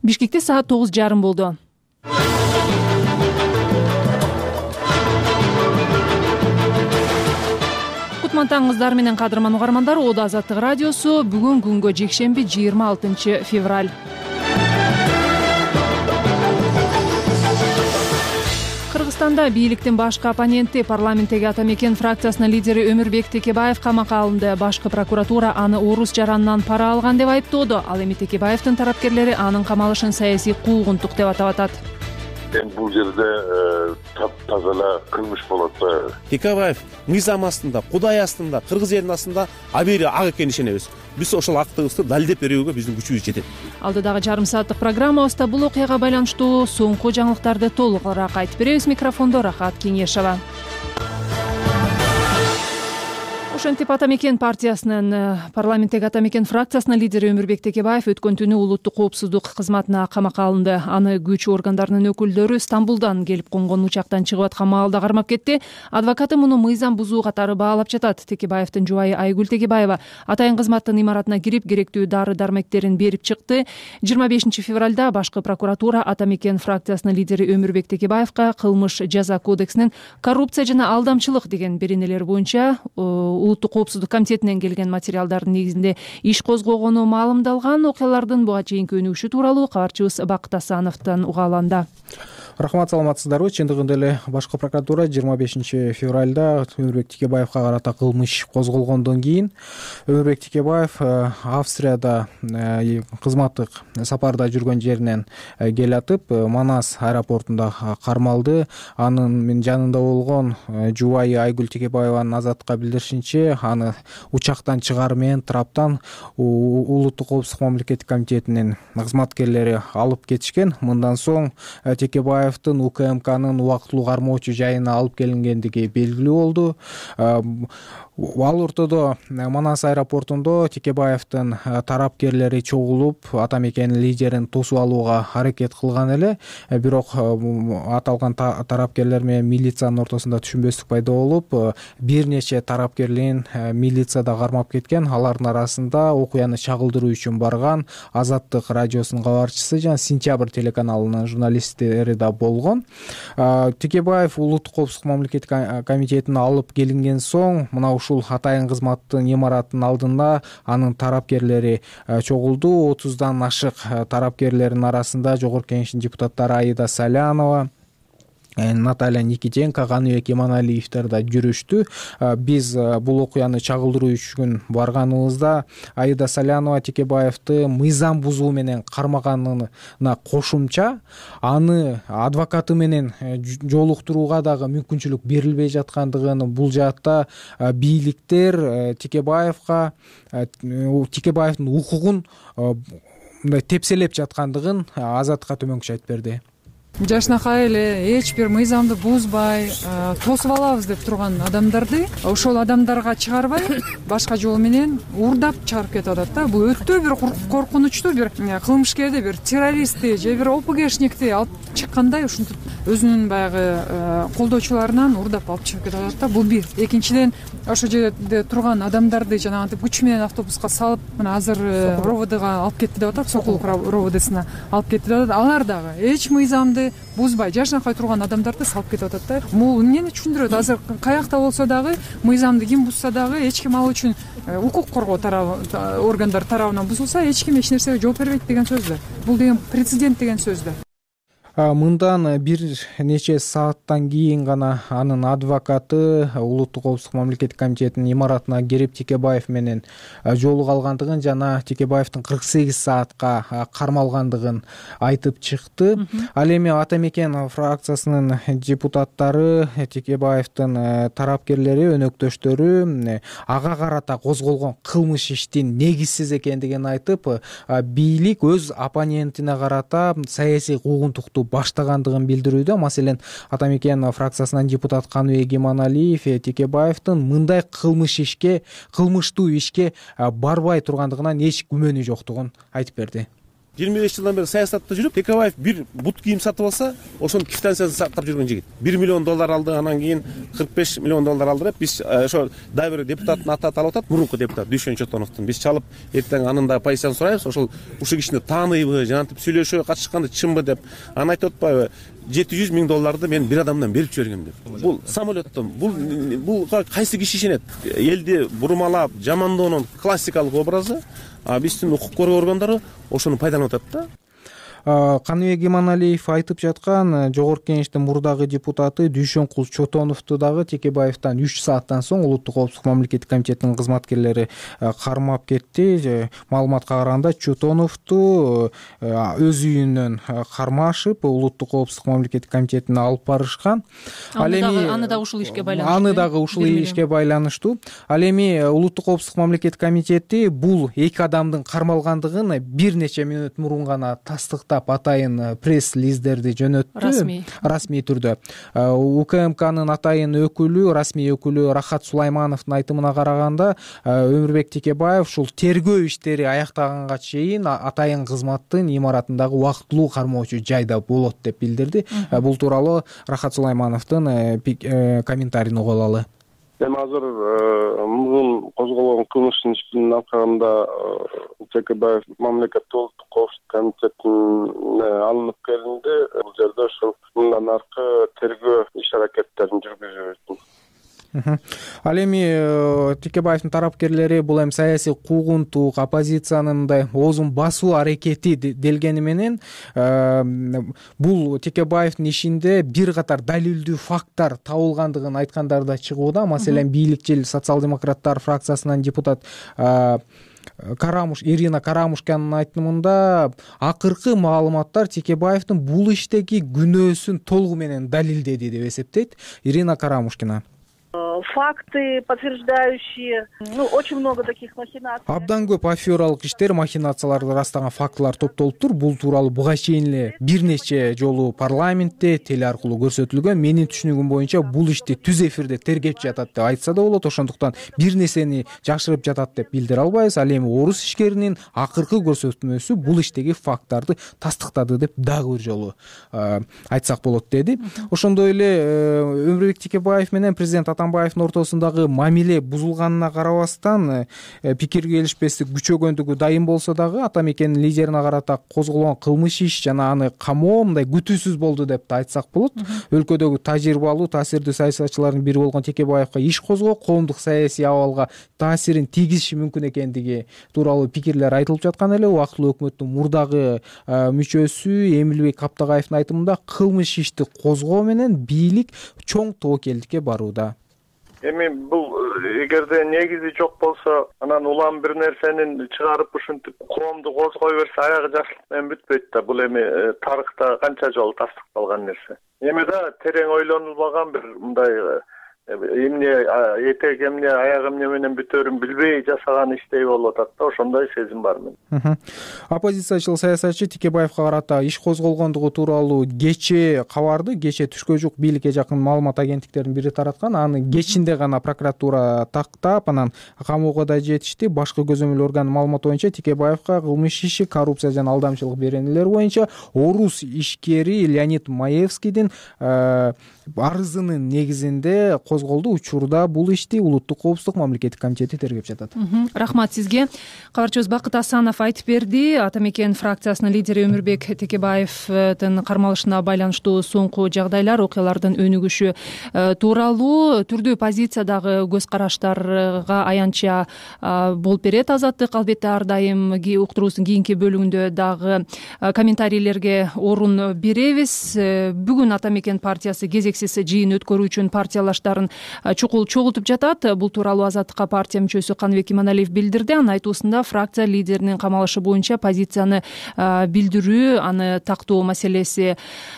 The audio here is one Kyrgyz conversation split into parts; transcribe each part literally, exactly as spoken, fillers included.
Бишкекте саат тогуз жарым болду. Кутман таңыңыздар менен кадырман угармандар. Ода Азаттык радиосу. Бүгүн күнгө жекшемби жыйырма алтынчы февраль. Кыргызстанда бийликтин башкы оппоненти парламенттеги Ата Мекен фракциясынын лидери Өмүрбек Текебаев камакка алынды. Башкы прокуратура аны орус жаранынан пара алган деп айыптоодо. Ал эми Текебаевдин тарапкерлери анын камалышын саясий куугунтук деп атап атат. Эми бул жерде таптаза эле кылмыш болот. Текебаев мыйзам астында, Кудай астында, кыргыз элинин астында абийири ак экенин ишенебиз. Биз ошол актыбызды далилдеп берүүгө биздин күчүбүз жетет. Алдыдагы жарым сааттык программабызда бул окуяга байланыштуу соңку жаңылыктарды толугураак айтып беребиз. Микрофондо Рахат Кеңешова. Ошентип Ата Мекен партиясынын парламенттеги Ата Мекен фракциясынын лидери Өмүрбек Текебаев өткөн түнү улуттук коопсуздук кызматына камакка алынды. Аны күч органдарынын өкүлдөрү Стамбулдан келип конгон учактан чыгып аткан маалда кармап кетти. Адвокаты муну мыйзам бузуу катары баалап жатат. Текебаевдин жубайы Айгүл Текебаева атайын кызматтын имаратына кирип керектүү дары дармектерин берип чыкты. жыйырма бешинчи февралда башкы прокуратура Ата Мекен фракциясынын лидери Өмүрбек Текебаевка кылмыш жаза кодексинин коррупция жана алдамчылык деген беренелер боюнча улуттук коопсуздук комитетинен келген материалдардын негизинде иш козгогону маалымдалган. Окуялардын буга чейинки өнүгүшү тууралуу кабарчыбыз Бакыт Асановдон угааланды. Рахмат, саламатсыздарбы? Чындыгында эле башкы прокуратура жыйырма бешинчи февралда Өмүрбек Текебаевка карата кылмыш козголгондон кийин Өмүрбек Текебаев Австрияда кызматтык сапарда жүргөн жеринен келатып Манас аэропортунда кармалды. Анын жанында болгон жубайы Айгүл Текебаеванын Азаттыкка билдиришинче, аны учактан чыгары менен траптан улуттук коопсуздук мамлекеттик комитетинин кызматкерлери алып кетишкен. Мындан соң Текебаев УКМКнын убактылуу кармоочу жайына алып келингендиги белгилүү болду. Ал ортодо Манас аэропортунда Текебаевдин тарапкерлери чогулуп, Ата Мекен лидерин тосуп алууга аракет кылган эле. Бирок аталган тарапкерлер менен милициянын ортосунда түшүнбөстүк пайда болуп, бир нече тарапкерлин милицияда кармап кеткен. Алардын арасында окуяны чагылдыруу үчүн барган Азаттык радиосунун кабарчысы жана Сентябрь телеканалынын журналисттери да болгон. Текебаев улуттук коопсуздук мамлекеттик комитетине алып келинген соң, мына ушул атайын кызматтын имараттын алдында анын тарапкерлери чогулду. отуздан ашык тарапкерлердин арасында Жогорку Кеңештин депутаттары Аида Салянова, Наталья Никитенко, Каныбек Иманалиевдер да жүрүштү. Биз бул окуяны чагылдыруу үчүн барганыбызда Аида Салянова Текебаевди мыйзам бузуу менен кармаганына кошумча аны адвокаты менен жолуктурууга дагы мүмкүнчүлүк берилбей жаткандыгын, бул жаатта бийликтер Текебаевга Текебаевдин укугун мындай тепселеп жаткандыгын Азаттыкка төмөнкүчө айтып берди. Жашынакай эле эч бир мыйзамды бузбай тосуп алабыз деп турган адамдарды ошол адамдарга чыгарбай башка жол менен урдап чыгарып кетип атат да. Бул өтө бир коркунучтуу, бир кылмышкерди, бир террористти же бир ОПГшникти алып чыккандай ушинтип өзүнүн баягы колдоочуларынан урдап алып чыгып кетип атат да. Бул бир. Экинчиден, ошол жерде турган адамдарды жанагынтип күч менен автобуска салып, мына азыр РОВДга алып кетти деп атат, Сокулук РОВДсына алып кетти деп атат. Алар дагы эч мыйзамды бузбай жашынакай турган адамдарды салып кетип атат да. Бул эмнени түшүндүрөт? Азыр каякта болсо дагы мыйзамды ким бузса дагы эч ким ал үчүн укук коргоо органдар тарабынан бузулса эч ким эч нерсеге жооп бербейт деген сөз да. Бул деген прецедент деген сөз да. Мындан бир нече сааттан кийин гана анын адвокаты улуттук коопсуздук мамлекеттик комитетинин имаратына кирип Текебаев менен жолуга алгандыгын жана Текебаевдин кырк сегиз саатка кармалгандыгын айтып чыкты. Ал эми Ата Мекен фракциясынын депутаттары, Текебаевдин тарапкерлери, өнөктөштөрү ага карата козголгон кылмыш иштин негизсиз экендигин айтып, бийлик өз оппонентине карата саясий куугунтукту баштагандыгын билдирүүдө. Маселен, Ата Мекен фракциясынан депутат Каныбек Иманалиев Текебаевдин мындай кылмыш ишке, кылмыштуу ишке барбай тургандыгынан эч күмөнү жоктугун айтып берди. жыйырма беш жылдан бери саясатта жүрүп, Текебаев бир бут кийим сатып алса, ошону квитанциясын сактап жүргөн жигит. бир миллион доллар алды, анан кийин кырк беш миллион доллар алды деп биз ошо дагы бир депутаттын аты аталып атат, мурунку депутат Дүйшөн Чотоновдун. Биз чалып эртең анын да позициясын сурайбыз. Ошол ушул кишини тааныйбы, жанагынтип сүйлөшө катышканды чынбы деп. Анан айтып атпайбы, жети жүз миң долларды мен бир адамдан берип жибергем деп. Бул самолеттон, бул бул кайсы киши ишенет? Элди бурмалап, жамандоонун классикалык образы, а биздин укук коргоо органдары ошону пайдаланып атат да. Каныбек Иманалиев айтып жаткан жогорку кеңештин мурдагы депутаты Дүйшөнкул Чотоновду дагы Текебаевден үч сааттан соң Улуттук коопсуздук мамлекеттик комитетинин кызматкерлери кармап кетти. Маалыматка караганда Чотоновду өз үйүнөн кармашып, Улуттук коопсуздук мамлекеттик комитетине алып барышкан. Ал эми аны дагы ушул ишке байланыштуу. Аны дагы ушул ишке байланыштуу. Ал эми Улуттук коопсуздук мамлекеттик комитети бул эки адамдын кармалгандыгын бир нече мүнөт мурун гана тастыктап атайын пресс-лиздерди жөнөттү. Расмий. Расмий түрдө. УКМКнын атайын өкүлү, расмий өкүлү Рахат Сулаймановдун айтымына караганда, Өмүрбек Текебаев ушул тергөө иштери аяктаганга чейин атайын кызматтын имаратындагы убактылуу кармоочу жайда болот деп билдирди. Бул тууралуу Рахат Сулаймановдун комментарийин угуп алалы. Эми азыр мурун козголгон кылмыштын ишинин аркасында Текебаев мамлекеттик улуттук коопсуздук комитетине алынып келинди. Бул жерде ошол мындан аркы тергөө иш-аракеттерин жүргүзүп. Ал эми Текебаевдин тарапкерлери бул эми саясий куугунтук, оппозициянын мындай оозун басуу аракети делгени менен бул Текебаевдин ишинде бир катар далилдүү факттар табылгандыгын айткандары да чыгууда. Маселен, бийликчил социал-демократтар фракциясынан депутат Карамуш, Ирина Карамушканын айтымында акыркы маалыматтар Текебаевдин бул иштеги күнөөсүн толугу менен далилдеди деп эсептейт Ирина Карамушкина. Факты, подтверждающие, ну, очень много таких махинаций. Абдан көп афералык иштер, махинацияларды ырастаган фактылар топтолуптур. Бул тууралуу буга чейин эле бир нече жолу парламентте теле аркылуу көрсөтүлгөн. Менин түшүнүгүм боюнча бул ишти түз эфирде тергеп жатат деп айтса да болот. Ошондуктан бир нерсени жашырып жатат деп билдире албайбыз. Ал эми орус ишкеринин акыркы көрсөтмөсү бул иштеги факттарды тастыктады деп дагы бир жолу айтсак болот деди. Ошондой эле Өмүрбек Текебаев менен президент Атамбаевдин ортосундагы мамиле бузулганына карабастан пикир келишпестик күчөгөндүгү дайым болсо дагы Атамекенин лидерине карата козголгон кылмыш иш жана аны камоо мындай күтүүсүз болду деп да айтсак болот. Өлкөдөгү тажрыйбалуу, таасирдүү саясатчылардын бири болгон Текебаевга иш козгоо коомдук саясий абалга таасирин тийгизиши мүмкүн экендиги тууралуу пикирлер айтылып жаткан эле. Убактылуу өкмөттүн мурдагы мүчөсү Эмилбек Каптагаевдин айтымында кылмыш ишти козгоо менен бийлик чоң тобокелдикке барууда. Эми бул эгерде негизи жок болсо, анан улам бир нерсенин чыгарып ушинтип коомду козгой берсе, аягы жакшылык менен бүтпөйт да. Бул эми тарыхта канча жолу тастыкталган нерсе. Эми да терең ойлонулбаган бир мындай эмне этек эмне аяк эмне менен бүтөрүн билбей жасаган иштей болуп атат да, ошондой сезим бар менин. Оппозициячыл саясатчы Текебаевга карата иш козголгондугу тууралуу кечээ кабарды, кечээ түшкө жук бийликке жакын маалымат агенттиктеринин бири тараткан. Аны кечинде гана прокуратура тактап, анан камоого да жетишти. Башкы көзөмөл органдын маалыматы боюнча Текебаевга кылмыш иши, коррупция жана алдамчылык беренелер боюнча орус ишкери Леонид Маевскийдин арызынын негизинде козголду. Учурда бул ишти Улуттук коопсуздук мамлекеттик комитети тергеп жатат. Рахмат сизге. Кабарчыбыз Бакыт Асанов айтып берди. Атамекен фракциясынын лидери Өмүрбек Текебаевдин кармалышына байланыштуу соңку жагдайлар, окуялардын өнүгүшү тууралуу түрдүү позициядагы көз караштарга аянтча болуп берет Азаттык. Албетте ар дайым уктуруубуздун кийинки бөлүгүндө дагы комментарийлерге орун беребиз. Бүгүн Атамекен партиясы кезексиз жыйын өткөрүү үчүн партиялаштарын чукул чогултуп жатат. Бул тууралуу Азаттыкка партия мүчөсү Каныбек Иманалиев билдирди. Анын айтуусунда фракция лидеринин камалышы боюнча позицияны билдирүү, аны тактоо маселеси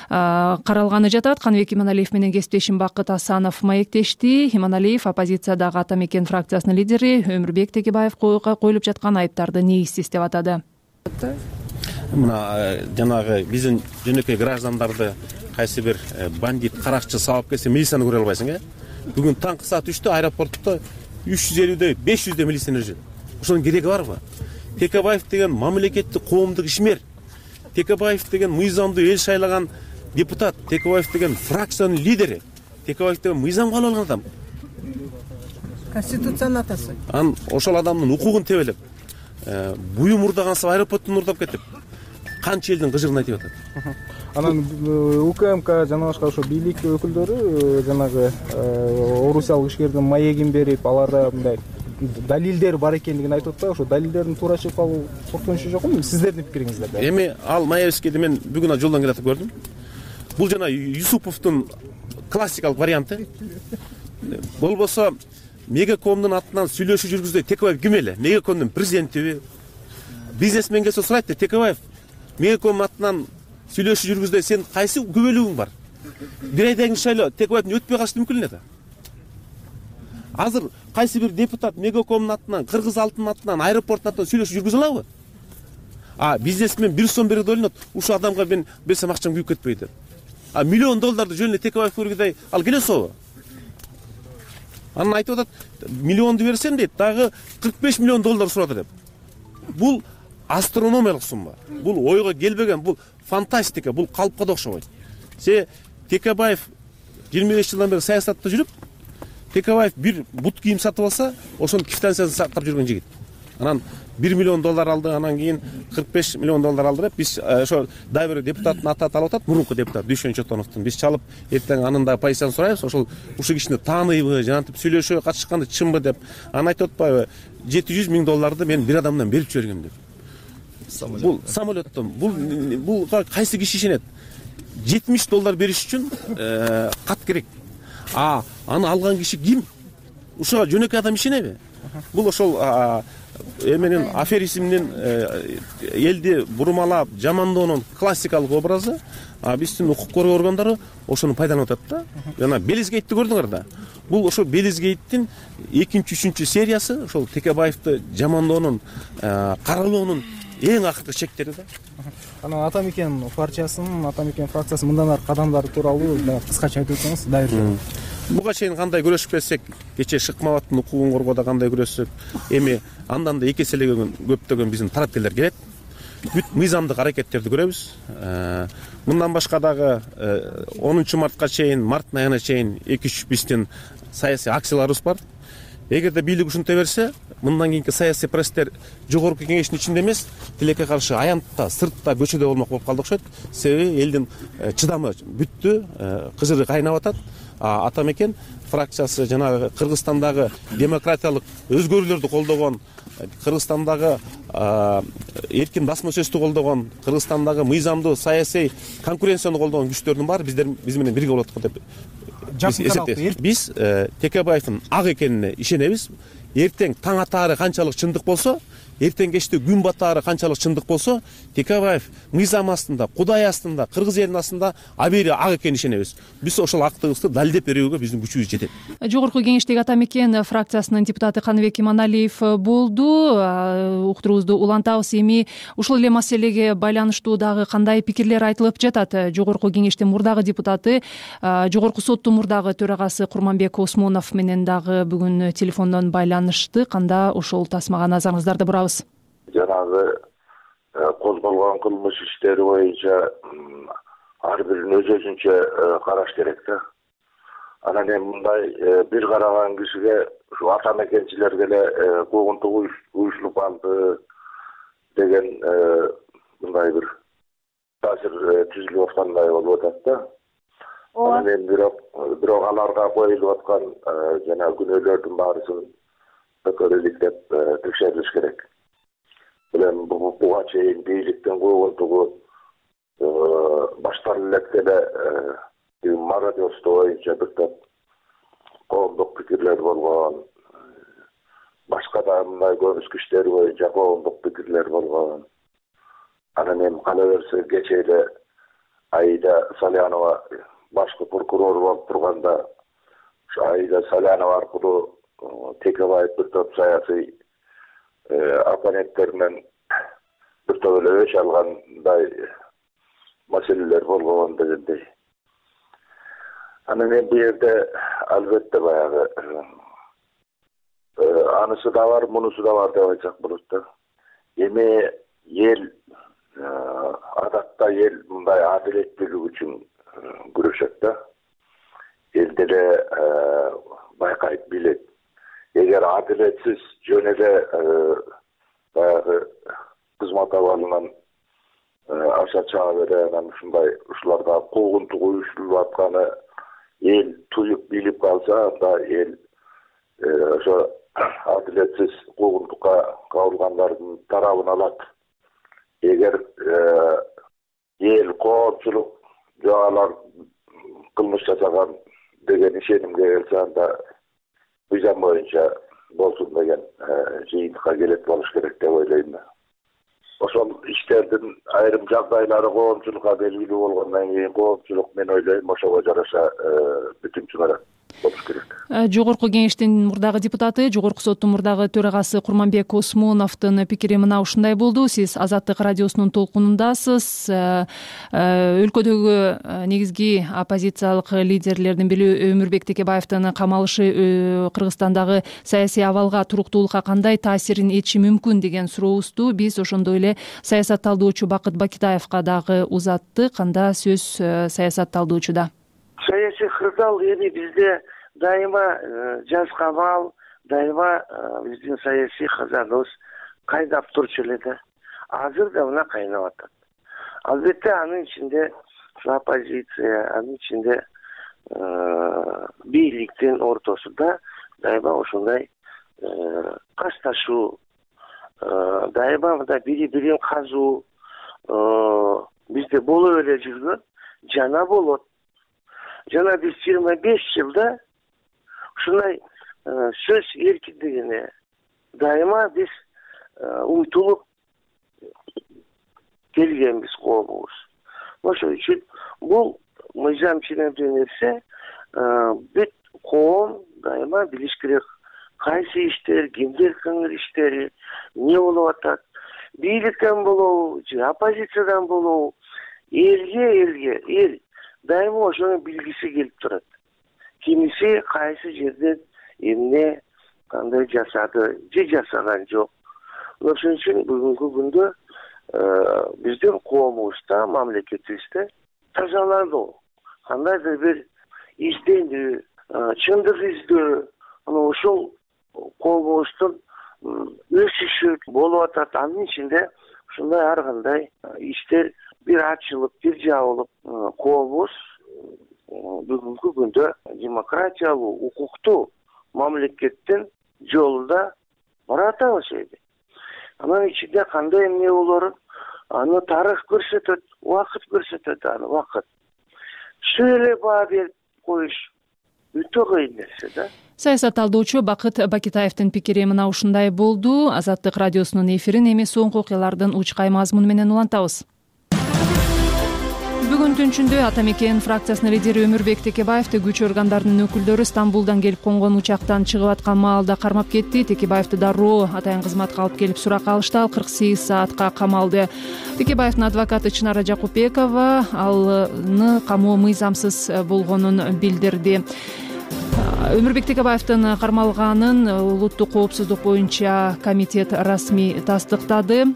каралганы жатат. Каныбек Иманалиев менен кесиптешим Бакыт Асанов маектешти. Иманалиев оппозициядагы Атамекен фракциясынын лидери Өмүрбек Текебаевга коюлуп жаткан айыптарды негизсиз деп атады. Мына жанагы биздин жөнөкөй граждандарды кайсы бир бандит, каракчы сабап келсе, милицияны көрө албайсың, э? Бүгүн таңкы саат үчтө аэропортто үч жүз элүүдөй, беш жүздөй милиционер жүр. Ошонун кереги барбы? Текебаев деген мамлекеттик коомдук ишмер. Текебаев деген мыйзамдуу эл шайлаган депутат, Текебаев деген фракциянын лидери, Текебаев деген мыйзам кабыл алган адам. Конституциянын атасы. Анан ошол адамдын укугун тебелеп, буюм урдагансы аэропорттун урдап кетип, канча элдин кыжырын айтып атат. Анан УКМК жана башка ошо бийлик өкүлдөрү жанагы орусиялык ишкердин маегин берип, аларда мындай далилдер бар экендигин айтып атпайбы? Ошо далилдердин туура чыгып калуу коркунучу жокпу? Сиздердин пикириңиздер? Эми ал Маевскийди мен бүгүн жолдон келатып көрдүм. Бул жана Юсуповдун классикалык варианты. Болбосо Мегакомдун атынан сүйлөшүү жүргүздөй Текебаев ким эле? Мегакомдун президентиби? Бизнесмен келсе сурайт да, Текебаев Мегакомдун атынан сүйлөшүү жүргүздөй сен кайсы күбөлүгүң бар? Бир айдан кийин шайлоо Текебаевдин өтпөй калышы мүмкүн эле да. Азыр кайсы бир депутат Мегакомдун атынан, Кыргыз алтын атынан, аэропорттун атынан сүйлөшүү жүргүзө алабы? А бизнесмен бир сом берип ойлонот, ушул адамга мен берсем акчам күйүп кетпейт деп. А миллион долларды жөнүнө Текебаев көргөдөй ал келе собу? Анан айтып атат, миллионду берсем дейт, дагы кырк беш миллион доллар сурады деп. Бул астрономиялык сумма. Бул ойго келбеген, бул фантастика, бул калпка да окшобойт. Се Текебаев жыйырма беш жылдан бери саясатта жүрүп, Текебаев бир бут кийим сатып алса, ошонун квитанциясын сактап жүргөн жигит. Анан бир миллион доллар алды, анан кийин кырк беш миллион доллар алды деп биз ошо дагы бир депутаттын аты алып атат, мурунку депутат Дүйшөн Чотоновдун. Биз чалып эртең анын да позициясын сурайбыз, ошол ушул кишини тааныйбы, жанагынтип сүйлөшүүгө катышканы чынбы деп. Анан айтып атпайбы, жети жүз миң долларды мен бир адамдан берип жибергем деп. Бул самолеттон, бул бул кайсы киши ишенет? жетимиш доллар бериш үчүн кат керек. А аны алган киши ким? Ушуга жөнөкөй адам ишенеби? Бул ошол эменин аферизмдин элди бурмалап, жамандоонун классикалык образы. А биздин укук коргоо органдары ошону пайдаланып атат да. Жана Белизгейтти көрдүңөр да. Бул ошо Белизгейттин экинчи, үчүнчү сериясы, ошол Текебаевди жамандоонун, каралоонун эң акыркы чектери да. Анан Ата Мекен партиясынын, Ата Мекен фракциясынын мындан аркы кадамдары тууралуу кыскача айтып өтсөңүз, дайыр. Буга чейин кандай күрөшүп келсек, кечээ Шыкмаматтын укугун коргоодо кандай күрөшсөк, эми андан да эки эселеген көптөгөн биздин тараптуулар келет. Бүт мыйзамдык аракеттерди көрөбүз. Мындан башка дагы онунчу мартка чейин, марттын айына чейин эки үч биздин саясий акцияларыбыз бар. Эгерде бийлик ушинте берсе, мындан кийинки саясий процесстер жогорку кеңештин ичинде эмес, тилекке каршы аянтта, сыртта, көчөдө болмок болуп калды окшойт. Себеби элдин чыдамы бүттү, кыжыры кайнап атат. Ата Мекен фракциясы жанагы Кыргызстандагы демократиялык өзгөрүүлөрдү колдогон, Кыргызстандагы эркин басма сөздү колдогон, Кыргызстандагы мыйзамдуу саясий конкуренцияны колдогон күчтөрдүн баары биздер биз менен бирге болот деп эсептейбиз. Биз Текебаевдин ак экенине ишенебиз. Эртең таң атаары канчалык чындык болсо, эртең кечте күн батаары канчалык чындык болсо, Текебаев мыйзам астында, Кудай астында, Кыргыз элинин астында абийири ак экенине ишенебиз. Биз ошол актыгыбызды далилдеп берүүгө биздин күчүбүз жетет. Жогорку кеңештеги Ата Мекен фракциясынын депутаты Каныбек Иманалиев болду. Уктуруубузду улантабыз. Эми ушул эле маселеге байланыштуу дагы кандай пикирлер айтылып жатат? Жогорку кеңештин мурдагы депутаты, Жогорку соттун мурдагы төрагасы Курманбек Осмонов менен дагы бүгүн телефондон байланыштык. Анда ошол тасмага назарыңыздарды бурабыз. Жанагы козголгон кылмыш иштери боюнча ар бирин өз өзүнчө караш керек да. Анан эми мындай бир караган кишиге ушу Ата Мекенчилерге эле куугунтук уюшулуп алды деген мындай бир таасир түзүлүп аткандай болуп атат да. Анан эми бирок бирок аларга коюлуп аткан жана күнөөлөрдүн баарысын өкөрөлүктеп текшерилиш керек. Билем буга чейин бийликтин куугунтугу баштан электе эле мародерство боюнча бир топ коомдук пикирлер болгон, башка да мындай көрүнүш иштери боюнча коомдук пикирлер болгон. Анан эми кала берсе кечээ эле Аида Салянова башкы прокурор болуп турганда, ушу Аида Салянова аркылуу Текебаев бир топ саясий оппоненттер менен бир топ эле өч алгандай маселелер болгон дегендей. Анан эми бул жерде албетте баягы анысы да бар, мунусу да бар деп айтсак болот да. Эми эл адат эл мындай адилеттүүлүк үчүн күрөшөт да. Эл деле байкайт, билет. Эгер адилетсиз жөн эле баягы кызмат абалынан аша чыга бере, анан ушундай ушуларда куугунтук уюштурулуп атканы эл туюп билип калса, анда эл ошо адилетсиз куугунтукка кабылгандардын тарабын алат. Эгер эл коопчулук жок алар кылмыш жасаган деген ишенимге келсе, анда мыйзам боюнча болсун деген жыйынтыкка келет болуш керек деп ойлойм. Ошол иштердин айрым жагдайлары коомчулукка белгилүү болгондон кийин коомчулук мен ойлойм ошого жараша бүтүм чыгарат болуш керек. Жогорку кеңештин мурдагы депутаты, Жогорку соттун мурдагы төрагасы Курманбек Осмоновдун пикири мына ушундай болду. Сиз Азаттык радиосунун толкунундасыз. Өлкөдөгү негизги оппозициялык лидерлердин бири Өмүрбек Текебаевдин камалышы Кыргызстандагы саясий абалга, туруктуулукка кандай таасирин этиши мүмкүн деген сурообузду биз ошондой эле саясатталдоочу Бакыт Бакитаевга дагы узаттык. Анда сөз саясатталдоочуда. Саясий кырдаал эми бизде дайыма жаз камал, дайыма биздин саясий казаныбыз кайнап турчу эле да. Азыр да мына кайнап атат. Албетте анын ичинде оппозиция, анын ичинде бийликтин ортосунда дайыма ошондой кашташуу, дайыма мындай бири бирин казуу бизде болуп эле жүргөн, жана болот. Жана биз жыйырма беш жылда ушундай сөз эркиндигине дайыма биз умтулуп келгенбиз коомубуз. Ошол үчүн бул мыйзам ченемдүү нерсе, бүт коом дайыма билиш керек кайсы иштер, кимдер кыңыр иштери, эмне болуп атат, бийликтен болобу же оппозициядан болобу, элге элге эл дайыма ошону билгиси келип турат. Кимиси кайсы жерден эмне кандай жасады, же жасаган жок. Ошон үчүн бүгүнкү күндө биздин коомубузда, мамлекетибизде тазалануу, кандайдыр бир изденүү, чындык издөө, анан ошол коомубуздун өсүшү болуп атат. Анын ичинде ушундай ар кандай иштер бир ачылып, бир жабылып, коомубуз бүгүнкү күндө демократиялуу, укуктуу мамлекеттин жолунда баратабыз эми. Анын ичинде кандай эмне болорун аны тарых көрсөтөт, убакыт көрсөтөт, аны убакыт. Ушул эле баа берип коюш өтө кыйын нерсе да. Саясатталдоочу Бакыт Бакитаевдин пикири мына ушундай болду. Азаттык радиосунун эфирин эми соңку окуялардын учкай мазмуну менен улантабыз. Бүгүн түнчүндө Ата Мекен фракциясынын лидери Өмүрбек Текебаевди күч органдарынын өкүлдөрү Стамбулдан келип конгон учактан чыгып аткан маалда кармап кетти. Текебаевди дароо атайын кызматка алып келип сурак алышты. Ал кырк сегиз саатка камалды. Текебаевдин адвокаты Чынара Жакупбекова алны камоо мыйзамсыз болгонун билдирди. Өмүрбек Текебаевдин кармалганын улуттук коопсуздук боюнча комитет расмий тастыктады.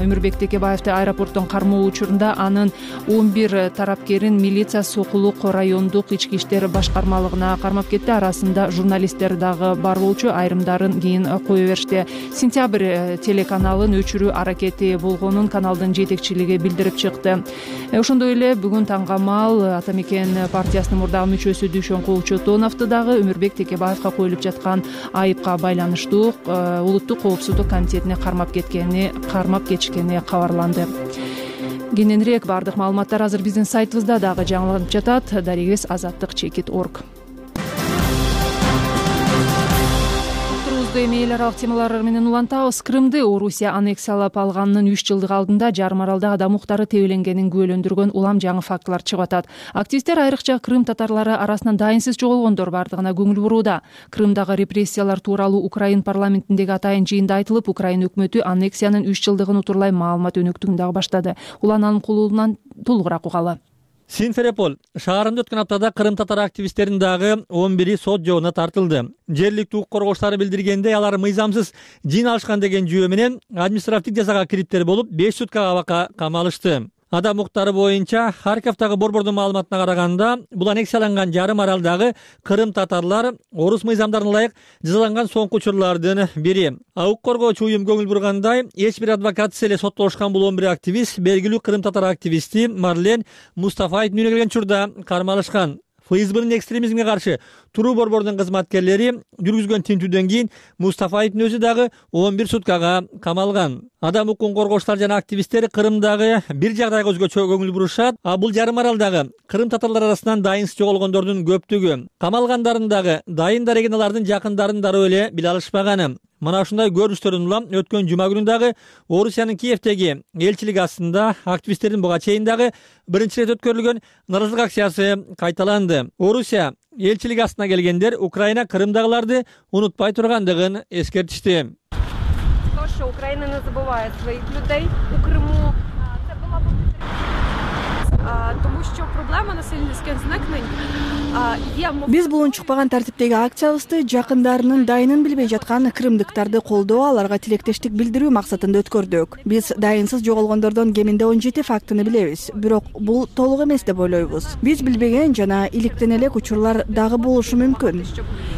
Өмүрбек Текебаевди аэропорттон кармоо учурунда анын он бир тарапкерин милиция Сокулук райондук ички иштер башкармалыгына кармап кетти. Арасында журналисттер дагы бар болчу, айрымдарын кийин кое беришти. Сентябрь телеканалын өчүрүү аракети болгонун каналдын жетекчилиги билдирип чыкты. Ошондой эле бүгүн таңга маал Ата Мекен партиясынын мурдагы мүчөсү Дүйшөн Кулчотоновду дагы Өмүрбек Текебаевга коюлуп жаткан айыпка байланыштуу улуттук коопсуздук комитетине кармап кеткени, кармап кетишкени кабарланды. Кененирээк бардык маалыматтар азыр биздин сайтыбызда дагы жаңыланып жатат. Дарегибиз азаттык чекит точка орг. Эми эл аралык темалар менен улантабыз. Крымды Орусия аннексиялап алганынын үч жылдык алдында жарым аралда адам укуктары тебеленгенин күбөлөндүргөн улам жаңы фактылар чыгып атат. Активисттер айрыкча Крым татарлары арасынан дайынсыз жоголгондор бардыгына көңүл бурууда. Крымдагы репрессиялар тууралуу Украин парламентиндеги атайын жыйында айтылып, Украин өкмөтү аннексиянын үч жылдыгын утурлай маалымат өнөктүгүн дагы баштады. Улананын кулулунан толугураак угалы. Симферополь шаарында өткөн аптада Крым татар активисттеринин дагы он бири сот жообуна тартылды. Жергиликтүү укук коргоочулар билдиргендей, алар мыйзамсыз жин алышкан деген жүйө менен административдик жазага кириптер болуп, беш суткага абакка камалышты. Адам укуктары боюнча Харьковдагы борбордун маалыматына караганда, бул аннексияланган жарым аралдагы кырым татарлар орус мыйзамдарына ылайык жазаланган соңку учурлардын бири. Укук коргоочу уюм көңүл бургандай, эч бир адвокатсыз эле соттолушкан бул он бир активист белгилүү кырым татар активисти Марлен Мустафаевдин үйүнө келген учурда кармалышкан. ФСБнын экстремизмге каршы туруу борбордунун кызматкерлери жүргүзгөн тинтүүдөн кийин Мустафаевдин өзү дагы он бир суткага камалган. Адам укугун коргоочулар жана активисттер Кырымдагы бир жагдайга өзгөчө көңүл бурушат, а бул жарым аралдагы кырым татарлар арасынан дайынсыз жоголгондордун көптүгү. Камалгандардын дагы дайын дареген алардын жакындарын дароо эле биле алышпаганы. Мына ушундай көрүнүштөрдөн улам өткөн жума күнүндагы Орусиянын Киевдеги элчилиги астында активисттердин буга чейин дагы биринчи ирет өткөрүлгөн нааразылык акциясы кайталанды. Орусия элчилиги астына келгендер Украина Крымдагыларды унутпай тургандыгын эскертишти. То, что Украина не забывает своих людей у Криму, це була б тому що проблема насильницьких зникнень є. Биз бул унчукпаган тартиптеги акциябызды жакындарынын дайынын билбей жаткан кырымдыктарды колдоо, аларга тилектештик билдирүү максатында өткөрдүк. Биз дайынсыз жоголгондордон кеминде он жети фактыны билебиз, бирок бул толук эмес деп ойлойбуз. Биз билбеген жана иликтен элек учурлар дагы болушу мүмкүн.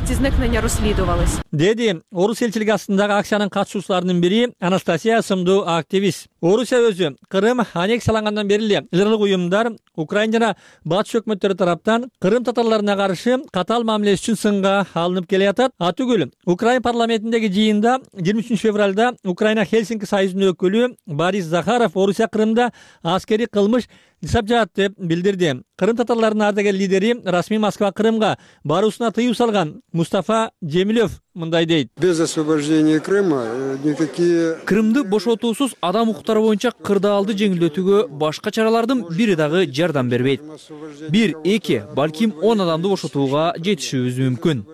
Ці зникнення розслідувались. Деди Орус элчилиги астындагы акциянын катышуучуларынын бири Анастасия сымдуу активист. Орусия өзү Кырым аннексиялангандан бери эле ылдырдык уюмдар Украина жана батыш өкмөттөрү тараптан кырым татарларына каршы катаал мамиле үчүн сынга алынып келе жатат. Атүгүл Украина парламентиндеги жыйында жыйырма үчүнчү февралда Украина Хельсинки союзунун өкүлү Борис Захаров Орусия Кырымда аскерий кылмыш жасап жатат деп билдирди. Кырым татарларынын ардагер лидери расмий Москва Крымга баруусуна тыюу салган Мустафа Жемилев мындай дейт. Без освобождения Крыма никакие Крымды бошотуусуз адам укуктары боюнча кырдаалды жеңилдетүүгө башка чаралардын бири дагы жардам бербейт. Бир, эки, балким он адамды бошотууга жетишүүбүз мүмкүн.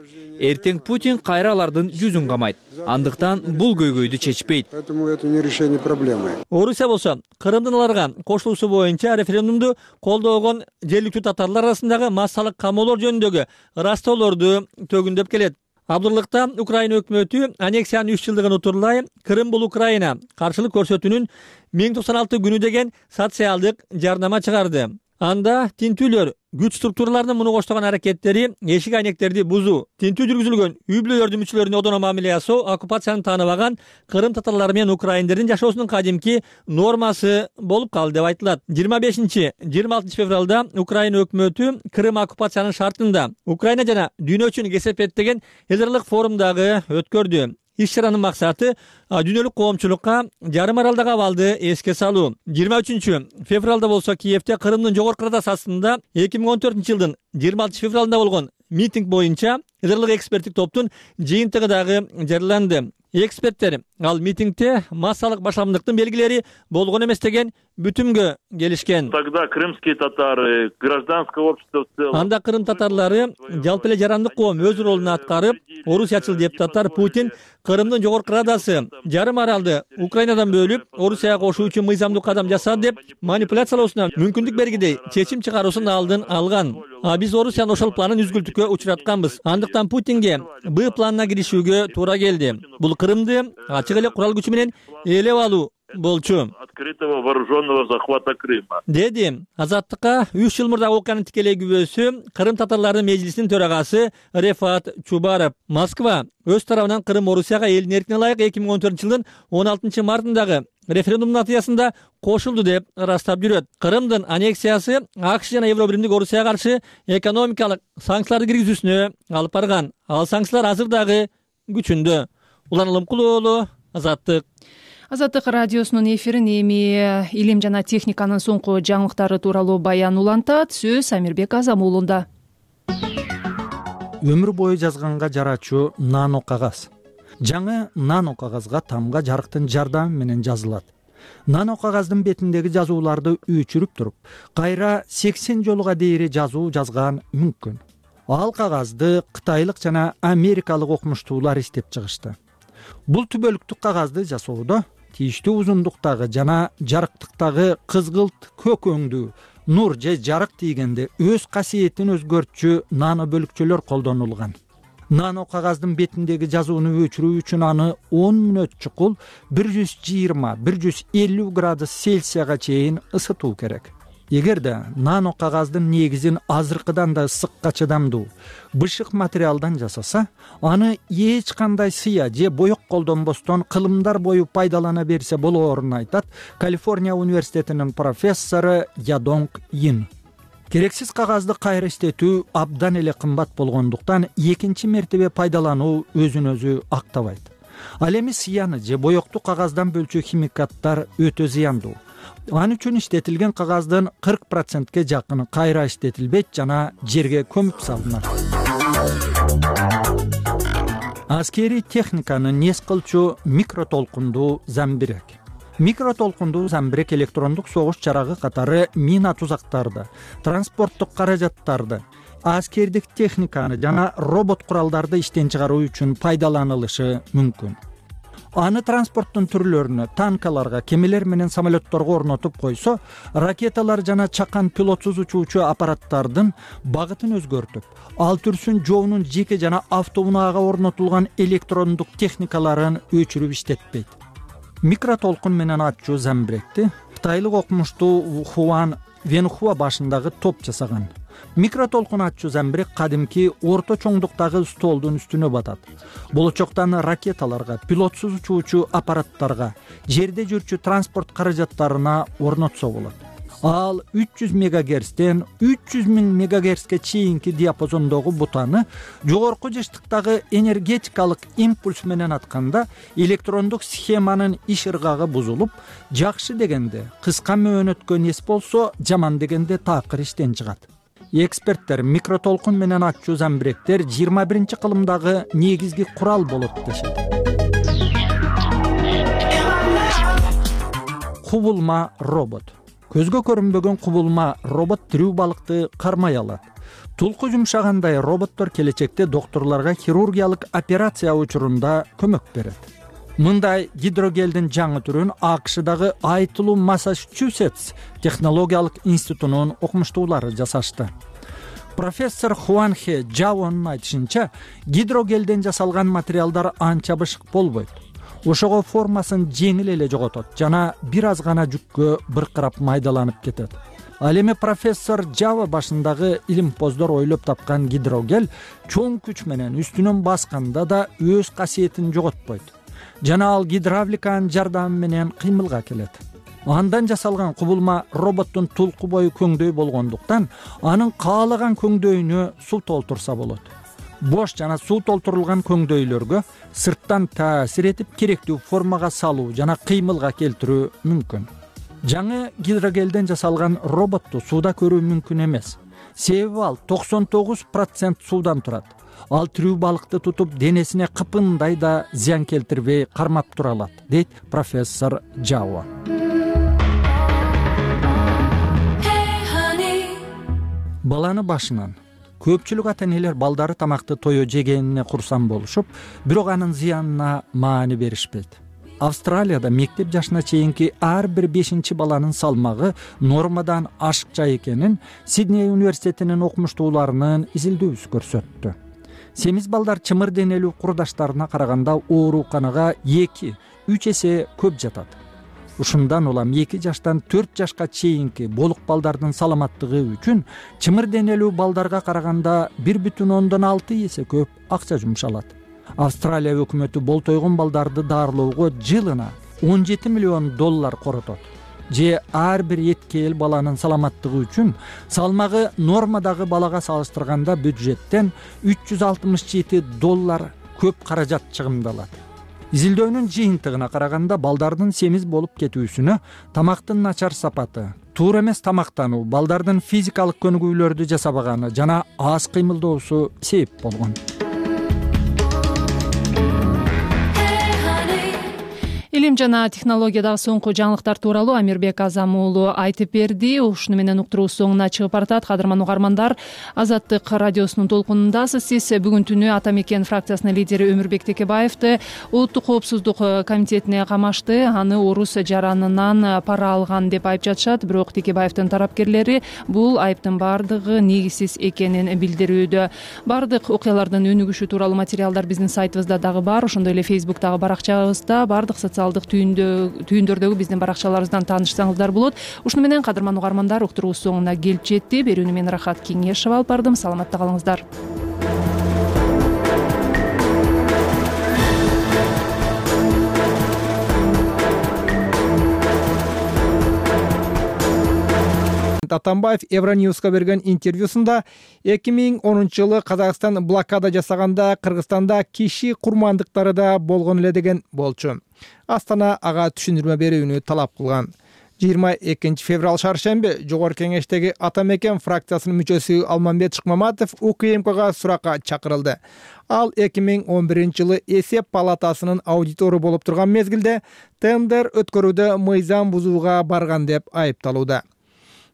Эртең Путин кайра алардын жүзүн камайт. Андыктан бул көйгөйдү чечпейт. Поэтому это не решение проблемы. Орусия болсо Кырымдын аларга кошулуусу боюнча референдумду колдогон жергиликтүү татарлар арасындагы массалык камоолор жөнүндөгү ырастоолорду төгүндөп келет. Абдырлыкта Украина өкмөтү аннексиянын үч жылдыгын утурлай Кырым бул Украина каршылык көрсөтүүнүн миң токсон алты күнү деген социалдык жарнама чыгарды. Анда тинтүүлөр күч структураларынын муну коштогон аракеттери эшик айнектерди бузуу, тинтүү жүргүзүлгөн үй бүлөлөрдүн мүчөлөрүнө одоно мамиле жасоо оккупацияны тааныбаган кырым татарлары менен украиндердин жашоосунун кадимки нормасы болуп калды деп айтылат. жыйырма бешинчи жыйырма алтынчы февралда Украина өкмөтү Кырым оккупациянын шартында Украина жана дүйнө үчүн кесепет деген эл аралык форумдагы өткөрдү. Иш-чаранын максаты дүйнөлүк коомчулукка жарым аралдагы абалды эске салуу. жыйырма үчүнчү февралда болсо Киевде Кырымдын жогорку радасы астында эки миң он төртүнчү жылдын жыйырма алтынчы февралында болгон митинг боюнча эл аралык эксперттик топтун жыйынтыгы дагы жарыяланды. Эксперттер ал митингде массалык башаламдыктын белгилери болгон эмес деген бүтүмгө келишкен. Тогда крымские татары, гражданское общество в целом. Анда кырым татарлары жалпы эле жарандык коом өз ролун аткарып, орусиячыл депутаттар Путин Кырымдын жогорку радасы жарым аралды Украинадан бөлүп, Орусияга кошуу үчүн мыйзамдуу кадам жасады деп манипуляциялоосуна мүмкүндүк бергидей чечим чыгаруусун алдын алган. А биз Орусиянын ошол планын үзгүлтүккө учуратканбыз. Андыктан Путинге Б планына киришүүгө туура келди. Бул Кырымды ачык эле курал күчү менен ээлеп алуу болчу. Открытого вооруженного захвата Крыма. Деди Азаттыкка үч жыл мурда окуянын тикелей күбөсү Кырым татарларынын межлисинин төрагасы Рефат Чубаров. Москва өз тарабынан Кырым Орусияга элдин эркине ылайык эки миң он төртүнчү жылдын он алтынчы мартындагы референдум натыйжасында кошулду деп ырастап жүрөт. Кырымдын аннексиясы АКШ жана Евробиримдик Орусияга каршы экономикалык санкцияларды киргизүүсүнө алып барган. Ал санкциялар азыр дагы күчүндө. Улан Улумкул уулу, Азаттык. Азаттык радиосунун эфирин эми илим жана техниканын соңку жаңылыктары тууралуу баян улантат. Сөз Амирбек Азам уулунда. Өмүр бою жазганга жарачу нано кагаз. Жаңы нано кагазга тамга жарыктын жардамы менен жазылат. Нано кагаздын бетиндеги жазууларды өчүрүп туруп, кайра сексен жолуга дейри жазуу жазган мүмкүн. Ал кагазды кытайлык жана америкалык окумуштуулар иштеп чыгышты. Бул түбөлүктүк кагазды жасоодо тийиштүү узундуктагы жана жарыктыктагы кызгылт көк өңдүү, нур же жарык тийгенде өз касиетин өзгөртчү нано бөлүкчөлөр колдонулган. нано кагаздын бетиндеги жазууну өчүрүү үчүн аны он мүнөт чукул бир жүз жыйырма бир жүз элүү градус цельсияга чейин ысытуу керек. Эгерде нано кагаздын негизин азыркыдан да ысыкка чыдамдуу бышык материалдан жасаса, аны эч кандай сыя же боек колдонбостон кылымдар бою пайдалана берсе болоорун айтат Калифорния университетинин профессору Ядонг Ин. Керексиз кагазды кайра иштетүү абдан эле кымбат болгондуктан экинчи мертебе пайдалануу өзүн өзү актабайт. Ал эми сыяны же боекту кагаздан бөлчү химикаттар өтө зыяндуу. Ал үчүн иштетилген кагаздын кырк процентке жакыны кайра иштетилбейт жана жерге көмүп салынат. Аскерий техниканы нес кылчу микротолкундуу замбирек. Микротолкундуу замбирек электрондук согуш жарагы катары мина тузактарды, транспорттук каражаттарды, аскердик техниканы жана робот куралдарды иштен чыгаруу үчүн пайдаланылышы мүмкүн. Аны транспорттун түрлөрүнө, танкаларга, кемелер менен самолетторго орнотуп койсо, ракеталар жана чакан пилотсуз учуучу аппараттардын багытын өзгөртүп, ал түрсүн жоонун жеке жана автоунаага орнотулган электрондук техникаларын өчүрүп иштетпейт. Микротолкун менен ачуу замбиректи кытайлык окумуштуу Хуан Венхуа башындагы топ жасаган. Микротолкун ачуу замбирек кадимки орто чоңдуктагы столдун үстүнө батат. Болочоктан ракеталарга, пилотсуз учуучу аппараттарга, жерде жүрчү транспорт каражаттарына орнотсо болот. Ал үч жүз мегагерцтен үч жүз миң мегагерцке чейинки диапазондогу бутаны жогорку жыштыктагы энергетикалык импульс менен атканда электрондук схеманын иш ыргагы бузулуп, жакшы дегенде кыска мөөнөткө нес болсо, жаман дегенде такыр иштен чыгат. Эксперттер микротолкун менен ачуу замбиректер жыйырма биринчи кылымдагы негизги курал болот дешет. Кубулма робот. Көзгө көрүнбөгөн кубулма робот тирүү балыкты кармай алат. Тулку жумшагандай роботтор келечекте докторлорго хирургиялык операция учурунда көмөк берет. Мындай гидрогелдин жаңы түрүн АКШдагы Айтылуу Массачусетс технологиялык институтунун окумуштуулары жасашты. Профессор Хуанхе Джаонун айтышынча, гидрогелден жасалган материалдар анча бышык болбойт. Ошого формасын жеңил эле жоготот жана бир аз гана жүккө быркырап майдаланып кетет. Ал эми профессор Жава башындагы илимпоздор ойлоп тапкан гидрогел чоң күч менен үстүнөн басканда да өз касиетин жоготпойт. Жана ал гидравликанын жардамы менен кыймылга келет. Андан жасалган кубулма роботтун тулку бою көңдөй болгондуктан анын каалаган көңдөйүнө суу толтурса болот. Бош жана суу толтурулган көңдөйлөргө сырттан таасир этип керектүү формага салуу жана кыймылга келтирүү мүмкүн. Жаңы гидрогелден жасалган роботту сууда көрүү мүмкүн эмес. Себеби ал токсон тогуз процент суудан турат. Ал тирүү балыкты тутуп денесине кыпындай да зыян келтирбей кармап тура алат, дейт профессор Жава. Баланы башынан көпчүлүк ата-энелер балдары тамакты тое жегенине курсан болушуп, бирок анын зыянына маани беришпейт. Австралияда мектеп жашына чейинки ар бир бешинчи баланын салмагы нормадан ашыкча экенин Сидней университетинин окумуштууларынын изилдөөсү көрсөттү. Семиз балдар чымыр денелүү курдаштарына караганда ооруканага эки үч эсе көп жатат. Ушундан улам эки жаштан төрт жашка чейинки болук балдардын саламаттыгы үчүн чымыр денелүү балдарга караганда бир бүтүн ондон алты эсе көп акча жумшалат. Австралия өкмөтү болтойгон балдарды даарылоого жылына он жети миллион доллар коротот. Же ар бир эткел баланын саламаттыгы үчүн салмагы нормадагы балага салыштырганда бюджеттен үч жүз алтымыш жети доллар көп каражат чыгымдалат. Изилдөөнүн жыйынтыгына караганда балдардын семиз болуп кетүүсүнө тамактын начар сапаты, туура эмес тамактануу, балдардын физикалык көнүгүүлөрдү жасабаганы жана аз кыймылдоосу себеп болгон. Илим жана технологиядагы соңку жаңылыктар тууралуу Амирбек Азам уулу айтып берди. Ушуну менен уктуруубуз соңуна чыгып баратат. Кадырман угармандар, Азаттык радиосунун толкунундасыз. Сиз бүгүн түнү Ата мекен фракциясынын лидери Өмүрбек Текебаевди Улуттук коопсуздук комитетине камашты. Аны орус жаранынан пара алган деп айыпташат. Бирок Текебаевдин тарапкерлери бул айыптын бардыгы негизсиз экенин билдирүүдө. Бардык окуялардын өнүгүшү тууралуу материалдар биздин сайтыбызда дагы бар. Ошондой эле Facebook'тагы баракчабызда, бардык социалдык түйүндөрдөгү биздин баракчаларыбыздан таанышсаңыздар болот. Ушуну менен кадырман угармандар, уктуруубуз соңуна келип жетти. Берүүнү мен Рахат Кеңешева алып бардым. Саламатта калыңыздар. Атамбаев Евроньюска берген интервьюсунда эки миң онунчу жылы Казакстан блокада жасаганда Кыргызстанда киши курмандыктары да болгон эле деген болчу. Астана ага түшүндүрмө берүүнү талап кылган. жыйырма экинчи февраль шаршемби Жогорку Кеңештеги Ата мекен фракциясынын мүчөсү Алмамбет Шыкмаматов УКМКга суракка чакырылды. Ал эки миң он биринчи жылы эсеп палатасынын аудитору болуп турган мезгилде тендер өткөрүүдө мыйзам бузууга барган деп айыпталууда.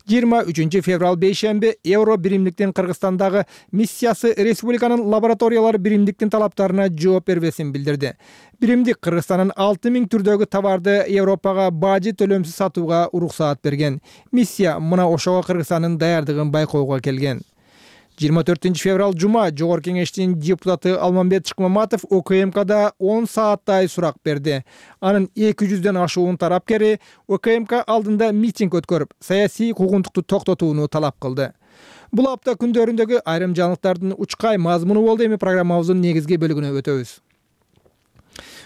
жыйырма үчүнчү февраль бейшемби Евро биримдиктин Кыргызстандагы миссиясы республиканын лабораториялар биримдиктин талаптарына жооп бербесин билдирди. Биримдик Кыргызстандын алты миң түрдөгү товарды Европага бажы төлөмсүз сатууга уруксаат берген. Миссия мына ошого Кыргызстандын даярдыгын байкоого келген. жыйырма төртүнчү февраль жума Жогорку Кеңештин депутаты Алмамбет Шыкмаматов УКМКда он сааттай сурак берди. Анын эки жүздөн ашуун тарапкери УКМК алдында митинг өткөрүп, саясий куугунтукту токтотууну талап кылды. Бул апта күндөрүндөгү айрым жаңылыктардын учкай мазмуну болду. Эми программабыздын негизги бөлүгүнө өтөбүз.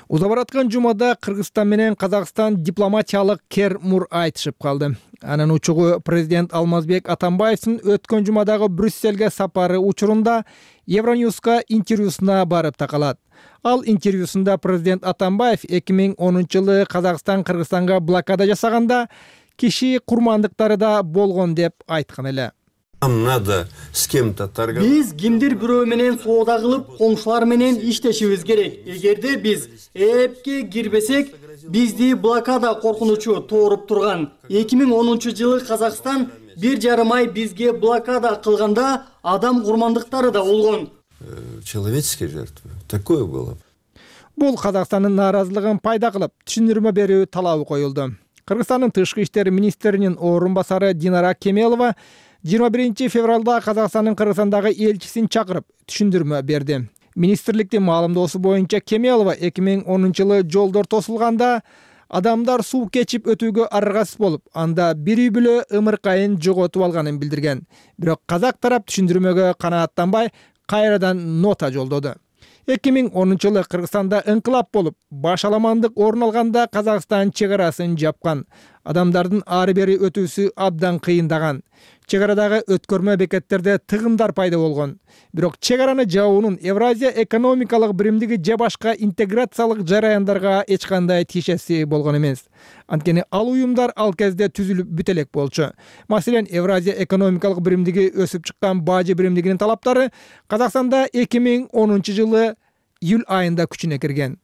Уза бараткан жумада Кыргызстан менен Казакстан дипломатиялык кер-мур айтышып калды. Анын учугу президент Алмазбек Атамбаевдин өткөн жумадагы Брюссельге сапары учурунда Евроньюска интервьюсуна барып такалат. Ал интервьюсунда президент Атамбаев эки миң онунчу жылы Казакстан Кыргызстанга блокада жасаганда киши курмандыктары да болгон деп айткан эле. Нам надо с кем-то торговать. Биз кимдир бирөө менен соода кылып, коңшулар менен иштешибиз керек. Эгерде биз эпке кирбесек, бизди блокада коркунучу тооруп турган. эки миң онунчу жылы Казакстан бир жарым ай бизге блокада кылганда адам курмандыктары да болгон. Человеческие жертвы. Такое было. Бул Казакстандын нааразылыгын пайда кылып, түшүндүрмө берүү талабы коюлду. Кыргызстандын тышкы иштер министринин орун басары Динара Кемелова жыйырма биринчи февралда Казакстандын Кыргызстандагы элчисин чакырып түшүндүрмө берди. Министрликтин маалымдоосу боюнча Кемелова эки миң онунчу жылы жолдор тосулганда адамдар суу кечип өтүүгө аргасыз болуп, анда бир үй бүлө ымыркайын жоготуп алганын билдирген. Бирок казак тарап түшүндүрмөгө канааттанбай кайрадан нота жолдоду. эки миң онунчу жылы Кыргызстанда ыңкылап болуп, башаламандык орун алганда Казакстан чек арасын жапкан. Адамдардын ары бери өтүүсү абдан кыйындаган. Чек арадагы өткөрмө бекеттерде тыгындар пайда болгон. Бирок чек араны жабуунун Евразия экономикалык биримдиги же башка интеграциялык жараяндарга эч кандай тиешеси болгон эмес. Анткени ал уюмдар ал кезде түзүлүп бүт элек болчу. Маселен, Евразия экономикалык биримдиги өсүп чыккан бажы биримдигинин талаптары Казакстанда эки миң онунчу жылы июль айында күчүнө кирген.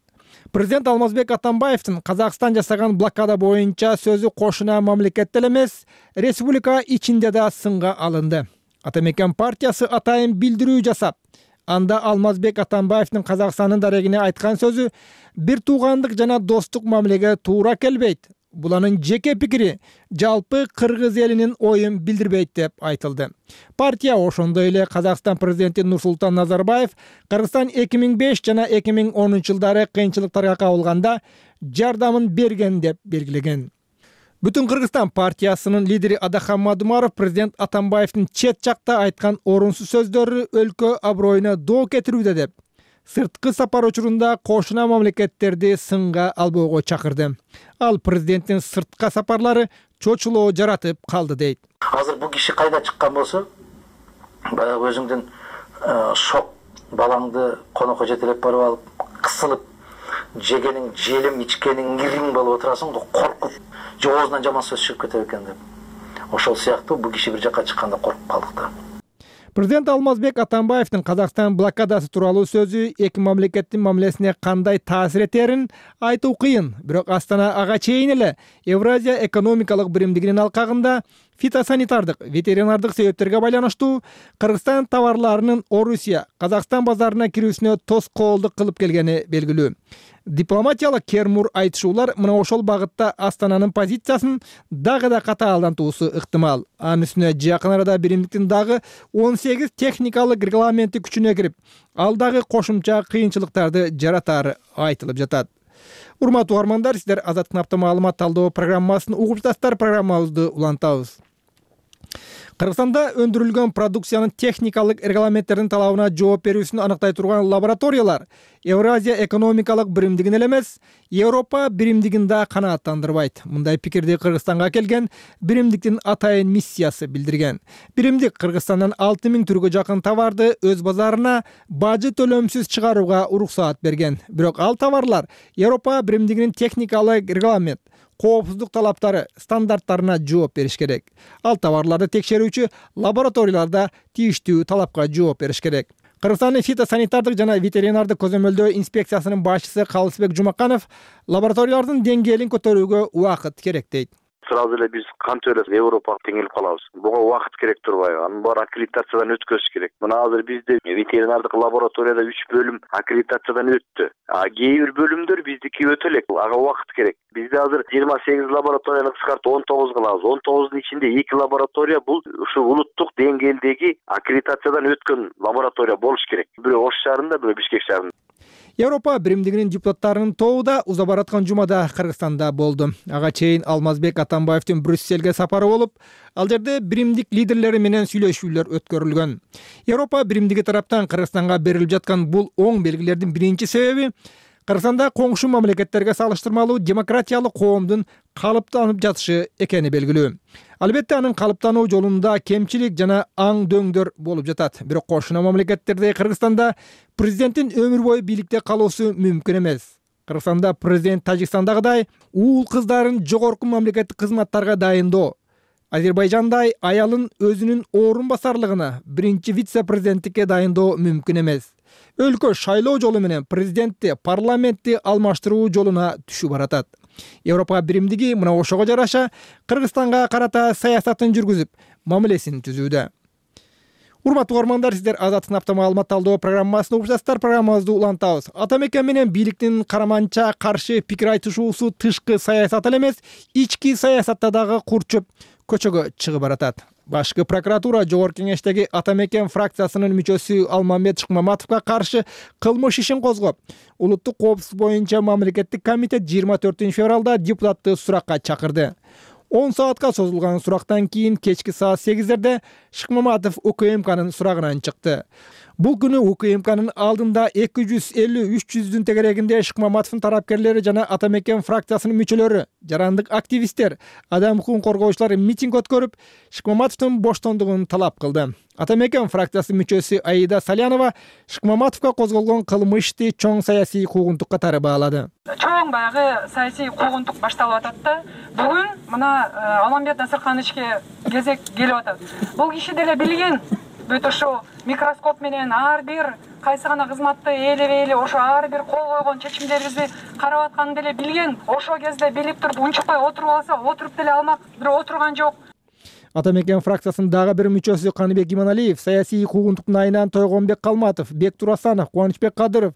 Президент Алмазбек Атамбаевдин Казакстан жасаган блокада боюнча сөзү кошуна мамлекетте эмес, республика ичинде да сынга алынды. Ата мекен партиясы атайын билдирүү жасап, анда Алмазбек Атамбаевдин Казакстандын дарегине айткан сөзү бир туугандык жана достук мамилеге туура келбейт. Бул анын жеке пикири, жалпы кыргыз элинин оюн билдирбейт деп айтылды. Партия ошондой эле Казакстан президенти Нурсултан Назарбаев Кыргызстан эки миң беш жана эки миң онунчу жылдары кыйынчылыктарга кабылганда жардамын берген деп белгилеген. Бүтүн Кыргызстан партиясынын лидери Адахан Мадумаров президент Атамбаевдин чет жакта айткан орунсуз сөздөрү өлкө аброюна доо кетирүүдө деп сырткы сапар учурунда кошуна мамлекеттерди сынга албоого чакырды. Ал президенттин сыртка сапарлары чочулоо жаратып калды дейт. Азыр бул киши кайда чыккан болсо, баягы өзүңдүн шок балаңды конокко жетелеп барып алып, кысылып, жегениң желим, ичкениң ириң болуп отурасың го, коркуп, же оозунан жаман сөз чыгып кетет экен деп. Ошол сыяктуу бул киши бир жакка чыкканда коркуп калдык да. Президент Алмазбек Атамбаевдин Казакстан блокадасы тууралуу сөзү эки мамлекеттин мамилесине кандай таасир этерин айтуу кыйын. Бирок Астана ага чейин эле Евразия экономикалык биримдигинин алкагында фитосанитардык, ветеринардык себептерге байланыштуу Кыргызстан товарларынын Орусия, Казакстан базарына кирүүсүнө тоскоолдук кылып келгени белгилүү. Дипломатиялык кермур айтышуулар мына ошол багытта Астананын позициясын дагы да катаалдантуусу ыктымал. Анын үстүнө жакын арада биримдиктин дагы он сегиз техникалык регламенти күчүнө кирип, ал дагы кошумча кыйынчылыктарды жаратары айтылып жатат. Урматтуу угармандар, сиздер Азаттык апта маалымат талдоо программасын угуп жатасыздар. Программабызды улантабыз. Кыргызстанда өндүрүлгөн продукциянын техникалык регламенттердин талабына жооп берүүсүн аныктай турган лабораториялар Евразия экономикалык биримдигин эле эмес, Европа биримдигин да канааттандырбайт. Мындай пикирди Кыргызстанга келген биримдиктин атайын миссиясы билдирген. Биримдик Кыргызстандан алты миң түргө жакын товарды өз базарына бажы төлөмсүз чыгарууга уруксаат берген. Бирок ал товарлар Европа биримдигинин техникалык регламент, коопсуздук талаптары, стандарттарына жооп бериш керек. Ал товарларды текшерүүчү лабораторияларда тийиштүү талапка жооп бериш керек. Кыргызстандын фитосанитардык жана ветеринардык көзөмөлдөө инспекциясынын башчысы Калысбек Жумаканов лабораториялардын деңгээлин көтөрүүгө убакыт керек дейт. Сразу эле биз кантип эле Европага теңелип калабыз. Буга убакыт керек турбайбы? Анын баары аккредитациядан өткөзүш керек. Мына азыр бизде ветеринардык лабораторияда үч бөлүм аккредитациядан өттү. А кээ бир бөлүмдөр биздики өтө элек. Ага убакыт керек. Бизде азыр жыйырма сегиз лабораторияны кыскартып он тогуз кылабыз. он тогуздун ичинде эки лаборатория бул ушу улуттук деңгээлдеги аккредитациядан өткөн лаборатория болуш керек. Бирөө Ош шаарында, бирөө Бишкек шаарында. Европа биримдигинин депутаттарынын тобу да уза бараткан жумада Кыргызстанда болду. Ага чейин Алмазбек Атамбаевдин Брюссельге сапары болуп, ал жерде биримдик лидерлери менен сүйлөшүүлөр өткөрүлгөн. Европа биримдиги тараптан Кыргызстанга берилип жаткан бул оң белгилердин биринчи себеби Кыргызстанда коңшу мамлекеттерге салыштырмалуу демократиялык коомдун калыптанып жатышы экени белгилүү. Албетте анын калыптануу жолунда кемчилик жана аң дөңдөр болуп жатат. Бирок кошуна мамлекеттерде Кыргызстанда президенттин өмүр бою бийликте калуусу мүмкүн эмес. Кыргызстанда президент Тажикстандагыдай уул кыздарын жогорку мамлекеттик кызматтарга дайындоо, Азербайжандай аялын өзүнүн орун басарлыгына биринчи вице-президенттикке дайындоо мүмкүн эмес. Өлкө шайлоо жолу менен президентти, парламентти алмаштыруу жолуна түшүп баратат. Европа биримдиги мына ошого жараша Кыргызстанга карата саясатын жүргүзүп, мамилесин түзүүдө. Урматтуу угармандар, сиздер Азаттык апта маалымат талдоо программасын угуп жатасыздар. Программабызды улантабыз. Атамекен менен бийликтин караманча каршы пикир айтышуусу тышкы саясат эле эмес, ички саясатта дагы курчуп көчөгө чыгып баратат. Башкы прокуратура жогорку кеңештеги Атамекен фракциясынын мүчөсү Алмамбет Шыкмаматовго каршы кылмыш ишин козгоп, улуттук коопсуздук боюнча мамлекеттик комитет жыйырма төртүнчү февралда депутатты суракка чакырды. он саатка созулган сурактан кийин кечки саат сегиздерде Шыкмаматов УКМКнын сурагынан чыкты. Бул күнү УКМКнын алдында эки жүз элүү үч жүздүн тегерегинде Шыкмаматовдун тарапкерлери жана Атамекен фракциясынын мүчөлөрү, жарандык активисттер, адам укугун коргоочулар митинг өткөрүп, Шыкмаматовдун боштондугун талап кылды. Атамекен фракциясынын мүчөсү Аида Салянова Шыкмаматовго козголгон кылмышты чоң саясий куугунтук катары баалады. Чоң баягы саясий куугунтук башталып атат да. Бүгүн мына Алмамбет Насыркановичке кезек келип атат. Бул киши деле билген бүт ошо микроскоп менен ар бир кайсы гана кызматты ээлебей эле ошо ар бир кол койгон чечимдерибизди карап атканын деле билген. Ошол кезде билип туруп унчукпай отуруп алса, отуруп деле алмак, бирок отурган жок. Атамекен фракциясынын дагы бир мүчөсү Каныбек Иманалиев саясий куугунтуктун айынан Тойгонбек Калматов, Бек Турасанов, Кубанычбек Кадыров,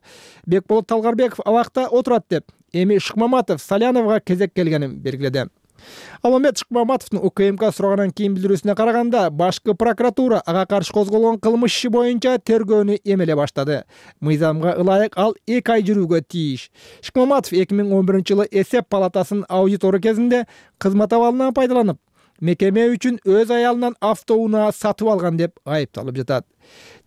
Бекболот Талгарбеков абакта отурат деп, эми Шыкмаматов Саляновго кезек келгенин белгиледи. Алмамбет Шыкмаматовдун УКМК сурагандан кийин билдирүүсүнө караганда, башкы прокуратура ага каршы козголгон кылмыш иши боюнча тергөөнү эмеле баштады. Мыйзамга ылайык ал эки ай жүрүүгө тийиш. Шыкмаматов эки миң он биринчи жылы эсеп палатасынын аудитору кезинде кызмат абалынан пайдаланып, мекеме үчүн өз аялынан автоунаа сатып алган деп айыпталып жатат.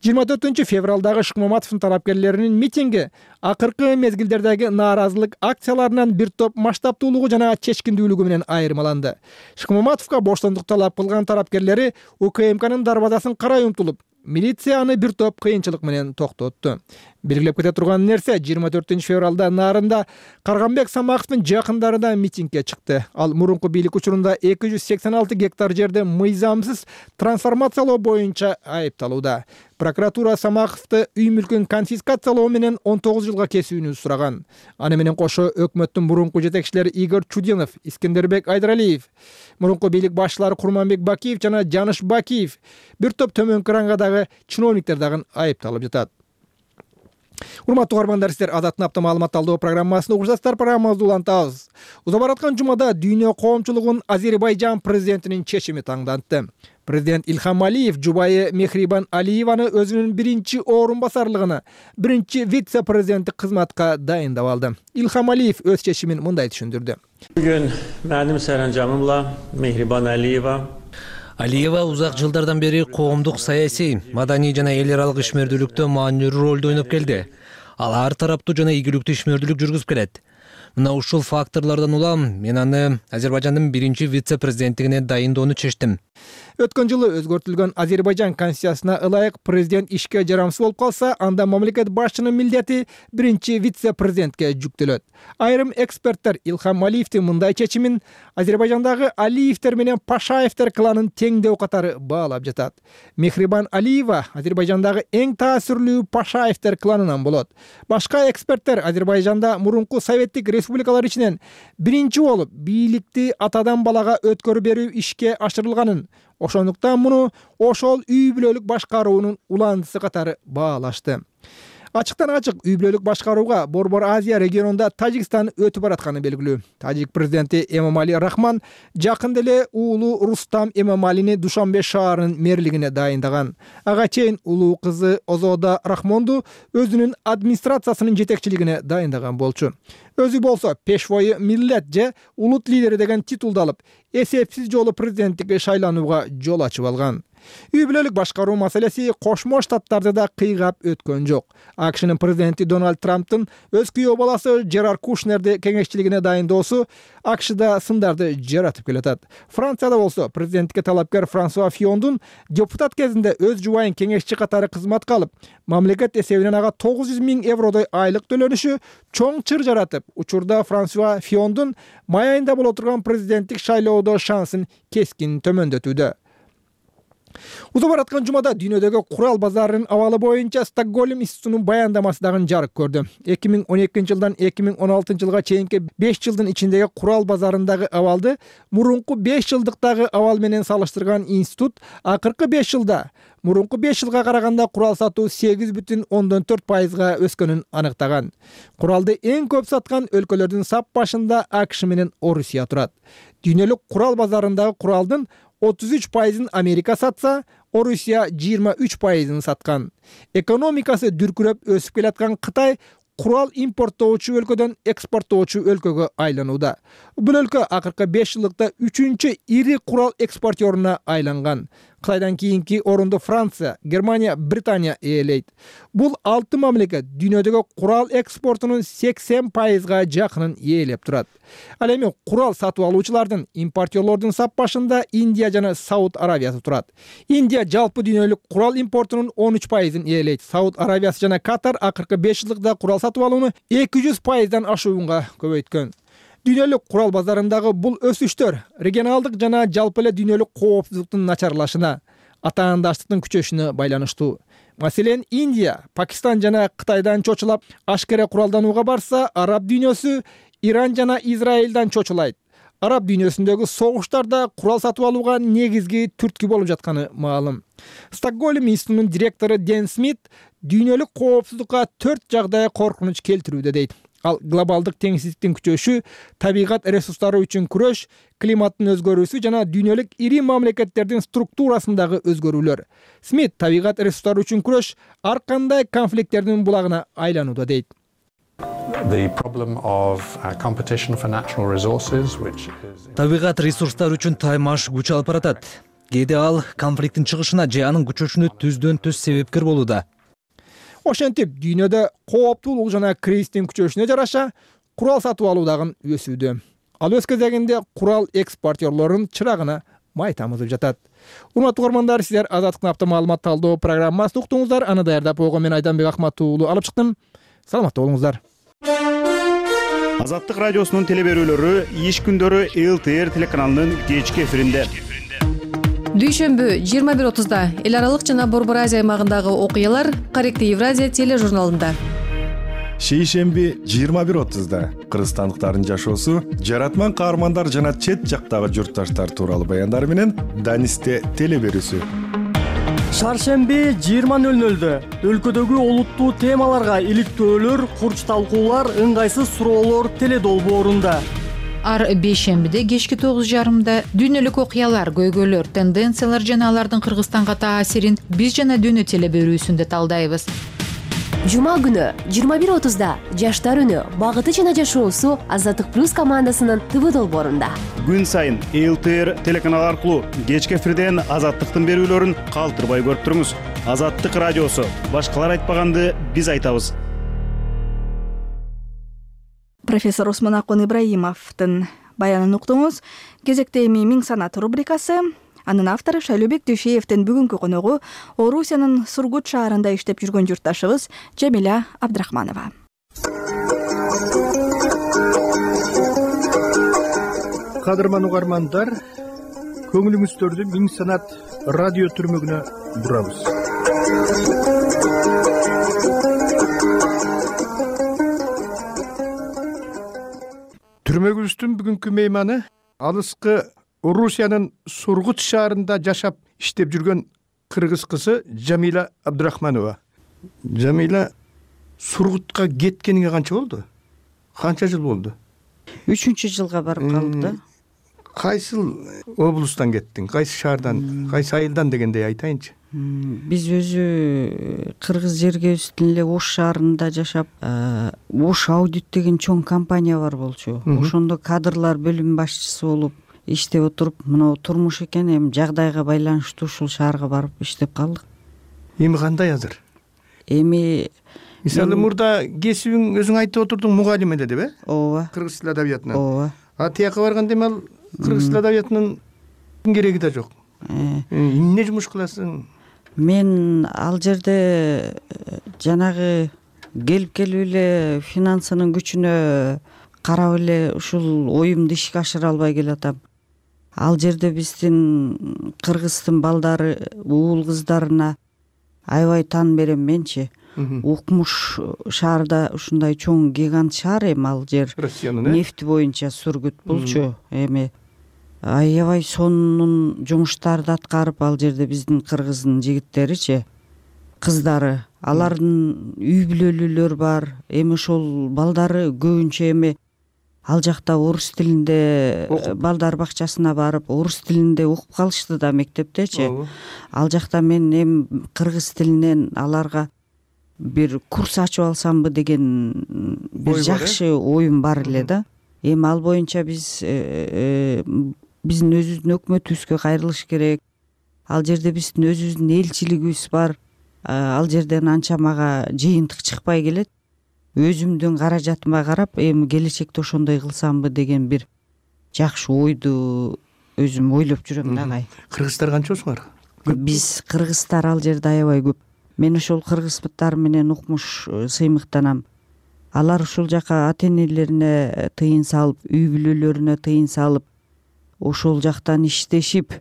жыйырма төртүнчү февралдагы Шыкмаматовдун тарапкерлеринин митинги акыркы мезгилдердеги нааразылык акцияларынан бир топ масштабтуулугу жана чечкиндүүлүгү менен айырмаланды. Шыкмаматовго боштондук талап кылган тарапкерлери УКМКнын дарбазасын карай умтулуп, милиция аны бир топ кыйынчылык менен токтотту. Белгилеп кете турган нерсе жыйырма төртүнчү февралда Нарында Карганбек Самаковдун жакындарында митингге чыкты. Ал мурунку бийлик учурунда эки жүз сексен алты гектар жерди мыйзамсыз трансформациялоо боюнча айыпталууда. Прокуратура Самаковду үй мүлкүн конфискациялоо менен он тогуз жылга кесүүнү сураган. Аны менен кошо өкмөттүн мурунку жетекчилери Игорь Чудинов, Искендербек Айдаралиев, мурунку бийлик башчылары Курманбек Бакиев жана Жаныш Бакиев, бир топ төмөнкү рангадагы чиновниктер дагы айыпталып жатат. Урматтуу угармандар, сиздер Азаттын апта маалымат талдоо программасында угушасыздар. Программабызды улантабыз. Уза бараткан жумада дүйнө коомчулугун Азербайжан президентинин чечими таңданты. Президент Ильхам Алиев жубайы Мехрибан Алиеваны өзүнүн биринчи орун басарлыгына, биринчи вице-президенттик кызматка дайындап алды. Ильхам Алиев өз чечимин мындай түшүндүрдү. Бүгүн менин саранжамымла Мехрибан Алиева Алиева узак жылдардан бери коомдук, саясий, маданий жана эл аралык ишмердүүлүктө маанилүү ролду ойноп келди. Ал ар тараптуу жана ийгиликтүү ишмердүүлүк жүргүзүп келет. Мына ушул факторлордон улам мен аны Азербайжандын биринчи вице-президенттигине дайындоону чечтим. Өткөн жылы өзгөртүлгөн Азербайжан конституциясына ылайык президент ишке жарамсыз болуп калса, анда мамлекет башчынын милдети биринчи вице-президентке жүктөлөт. Айрым эксперттер Ильхам Алиевдин мындай чечимин Азербайжандагы Алиевдер менен Пашаевдер кланын теңдөө катары баалап жатат. Мехрибан Алиева Азербайжандагы эң таасирлүү Пашаевдер кланынан болот. Башка эксперттер Азербайжанда мурунку советтик республикалар ичинен биринчи болуп бийликти атадан балага өткөрүп берүү ишке ашырылганын, ошондуктан муну ошол үй бүлөлүк башкаруунун уландысы катары баалашты. Ачыктан ачык үй бүлөлүк башкарууга Борбор Азия регионунда Тажикстан өтүп баратканы белгилүү. Тажик президенти Эмомали Рахман жакында эле уулу Рустам Эмомалини Душанбе шаарынын мэрлигине дайындаган. Ага чейин улуу кызы Озода Рахмонду өзүнүн администрациясынын жетекчилигине дайындаган болчу. Өзү болсо пешвойу миллет же улут лидери деген титулду алып, эсепсиз жолу президенттикке шайланууга жол ачып алган. Үй бүлөлүк башкаруу маселеси Кошмо Штаттарды да кыйгап өткөн жок. АКШнын президенти Дональд Трамптын өз күйөө баласы Жерар Кушнерди кеңешчилигине дайындоосу АКШда сындарды жаратып келатат. Францияда болсо президенттикке талапкер Франсуа Фиондун депутат кезинде өз жубайын кеңешчи катары кызматка алып, мамлекет эсебинен ага тогуз жүз миң евродой айлык төлөнүшү чоң чыр жаратып, учурда Франсуа Фиондун май айында боло турган президенттик шайлоодо шансын кескин төмөндөтүүдө. Уза бараткан жумада дүйнөдөгү курал базарынын абалы боюнча Стокгольм институтунун баяндамасы дагы жарык көрдү. эки миң он экинчи жылдан эки миң он алтынчы жылга чейинки беш жылдын ичиндеги курал базарындагы абалды мурунку беш жылдыктагы абал менен салыштырган институт акыркы беш жылда мурунку беш жылга караганда курал сатуу сегиз бүтүн ондон төрт пайызга өскөнүн аныктаган. Куралды эң көп саткан өлкөлөрдүн сап башында АКШ менен Орусия турат. Дүйнөлүк курал базарындагы куралдын отуз үч пайызын Америка сатса, Орусия жыйырма үч пайызын саткан. Экономикасы дүркүрөп өсүп келаткан Кытай курал импорттоочу өлкөдөн экспорттоочу өлкөгө айланууда. Бул өлкө акыркы беш жылдыкта үчүнчү ири курал экспортеруна айланган. Кытайдан кийинки орунду Франция, Германия, Британия ээлейт. Бул алты мамлекет дүйнөдөгү курал экспортунун сексен пайызга жакынын ээлеп турат. Ал эми курал сатып алуучулардын, импортерлордун сап башында Индия жана Сауд Аравиясы турат. Индия жалпы дүйнөлүк курал импортунун он үч пайызын ээлейт. Сауд Аравиясы жана Катар акыркы беш жылдыкта курал сатып алууну эки жүз пайыздан ашуунга көбөйткөн. Дүйнөлүк курал базарындагы бул өсүштөр регионалдык жана жалпы эле дүйнөлүк коопсуздуктун начарлашына, атаандаштыктын күчөшүнө байланыштуу. Маселен, Индия, Пакистан жана Кытайдан чочулап ашкере куралданууга барса, араб дүйнөсү Иран жана Израилдан чочулайт. Араб дүйнөсүндөгү согуштарда курал сатып алууга негизги түрткү болуп жатканы маалым. Стокгольм институтунун директору Ден Смит дүйнөлүк коопсуздукка төрт жагдай коркунуч келтирүүдө дейт. Ал глобалдык теңсиздиктин күчөшү, табигат ресурстары үчүн күрөш, климаттын өзгөрүүсү жана дүйнөлүк ири мамлекеттердин структурасындагы өзгөрүүлөр. Смит табигат ресурстары үчүн күрөш ар кандай конфликттердин булагына айланууда дейт. Табигат ресурстары үчүн таймаш күч алып баратат. Кээде ал конфликттин чыгышына же анын күчөшүнө түздөн түз себепкер болууда. Ошентип, дүйнөдө кооптуулук жана кризистин күчөшүнө жараша курал сатып алуу дагы өсүүдө. Ал өз кезегинде курал экспортерлорунун чырагына май тамызып жатат. Урматтуу угармандар, сиздер Азаттыктын апта маалымат талдоо программасын уктуңуздар. Аны даярдап койгон мен Айданбек Акмат уулу алып чыктым. Саламатта болуңуздар. Азаттык радиосунун теле берүүлөрү иш күндөрү эл тэ эр телеканалынын кечки эфиринде. Дүйшөмбү жыйырма бир отузда эл аралык жана Борбор Азия аймагындагы окуялар Корректив Евразия тележурналында. Шейшемби жыйырма бир отузда кыргызстандыктардын жашоосу, жаратман каармандар жана чет жактагы журтташтар тууралуу баяндар менен Данисте теле берүүсү. Шаршемби жыйырма нөл нөлдө өлкөдөгү олуттуу темаларга иликтөөлөр, курч талкуулар, ыңгайсыз суроолор теле долбоорунда. Ар бейшембиде кечки тогуз жарымда дүйнөлүк окуялар, көйгөйлөр, тенденциялар жана алардын Кыргызстанга таасирин биз жана дүйнө теле берүүсүндө талдайбыз. Жума күнү жыйырма бир отузда жаштар үнү, багыты жана жашоосу Азаттык плюс командасынын ТВ долбоорунда. Күн сайын эл тэ эр телеканалы аркылуу кечки эфирден Азаттыктын берүүлөрүн калтырбай көрүп туруңуз. Азаттык радиосу, башкалар айтпаганды биз айтабыз. Профессор Осмонакун Ибраимовдун баянын уктуңуз. Кезекте эми Миң санат рубрикасы. Анын автору Шайлообек Дүйшеевдин бүгүнкү коногу Орусиянын Сургут шаарында иштеп жүргөн журтташыбыз Жамиля Абдрахманова. Кадырман угармандар, көңүлүңүздөрдү Миң санат радио түрмөгүнө бурабыз. Түрмөгүбүздүн бүгүнкү мейманы алыскы Орусиянын Сургут шаарында жашап иштеп жүргөн кыргыз кызы Жамиля Абдрахманова. Жамиля Сургутка кеткениңе канча болду? Канча жыл болду? Үчүнчү жылга барып калды. Кайсыл облустан кеттиң? Кайсы шаардан, кайсы айылдан дегендей айтайынчы. Биз өзү кыргыз жергебиздин эле Ош шаарында жашап, Ош аудит деген чоң компания бар болчу. Ошондо кадрлар бөлүм башчысы болуп иштеп отуруп, мына турмуш экен, эми жагдайга байланыштуу ушул шаарга барып иштеп калдык. Эми кандай азыр? Эми мисалы мурда кесибиң өзүң айтып отурдуң, мугалим эле деп, э? Ооба. Кыргыз тил адабиятынан. Ооба. А тияка барганда эми ал кыргыз тил адабиятынын кереги да жок. Эмне жумуш кыласың? Мен ал жерде жанагы келип келип эле финансынын күчүнө карап эле ушул оюмду ишке ашыра албай келатам. Ал жерде биздин кыргыздын балдары, уул кыздарына аябай таан берем менчи. Укмуш шаарда ушундай чоң гигант шаар эми ал жер. Нефти боюнча Сургут болчу. Эми аябай сонун жумуштарды аткарып, ал жерде биздин кыргыздын жигиттеричи, кыздары, алардын үй бүлөлүүлөр бар. Эми ошол балдары көбүнчө эми ал жакта орус тилинде балдар бакчасына барып, орус тилинде окуп калышты да мектептечи. Ал жакта мен эми кыргыз тилинен аларга бир курс ачып алсамбы деген бир жакшы оюм бар эле да. Эми ал боюнча биз биздин өзүбүздүн өкмөтүбүзгө кайрылыш керек. Ал жерде биздин өзүбүздүн элчилигибиз бар. Ал жерден анча мага жыйынтык чыкпай келет. Өзүмдүн каражатыма карап, эми келечекте ошондой кылсамбы деген бир жакшы ойду өзүм ойлоп жүрөм дагы. Кыргыздар канчосуңар? Биз кыргыздар ал жерде аябай көп. Мен ошол кыргыздар менен укмуш сыймыктанам. Алар ушул жака ата-энелерине тыйын салып, үй бүлөлөрүнө тыйын салып, ошол жактан иштешип,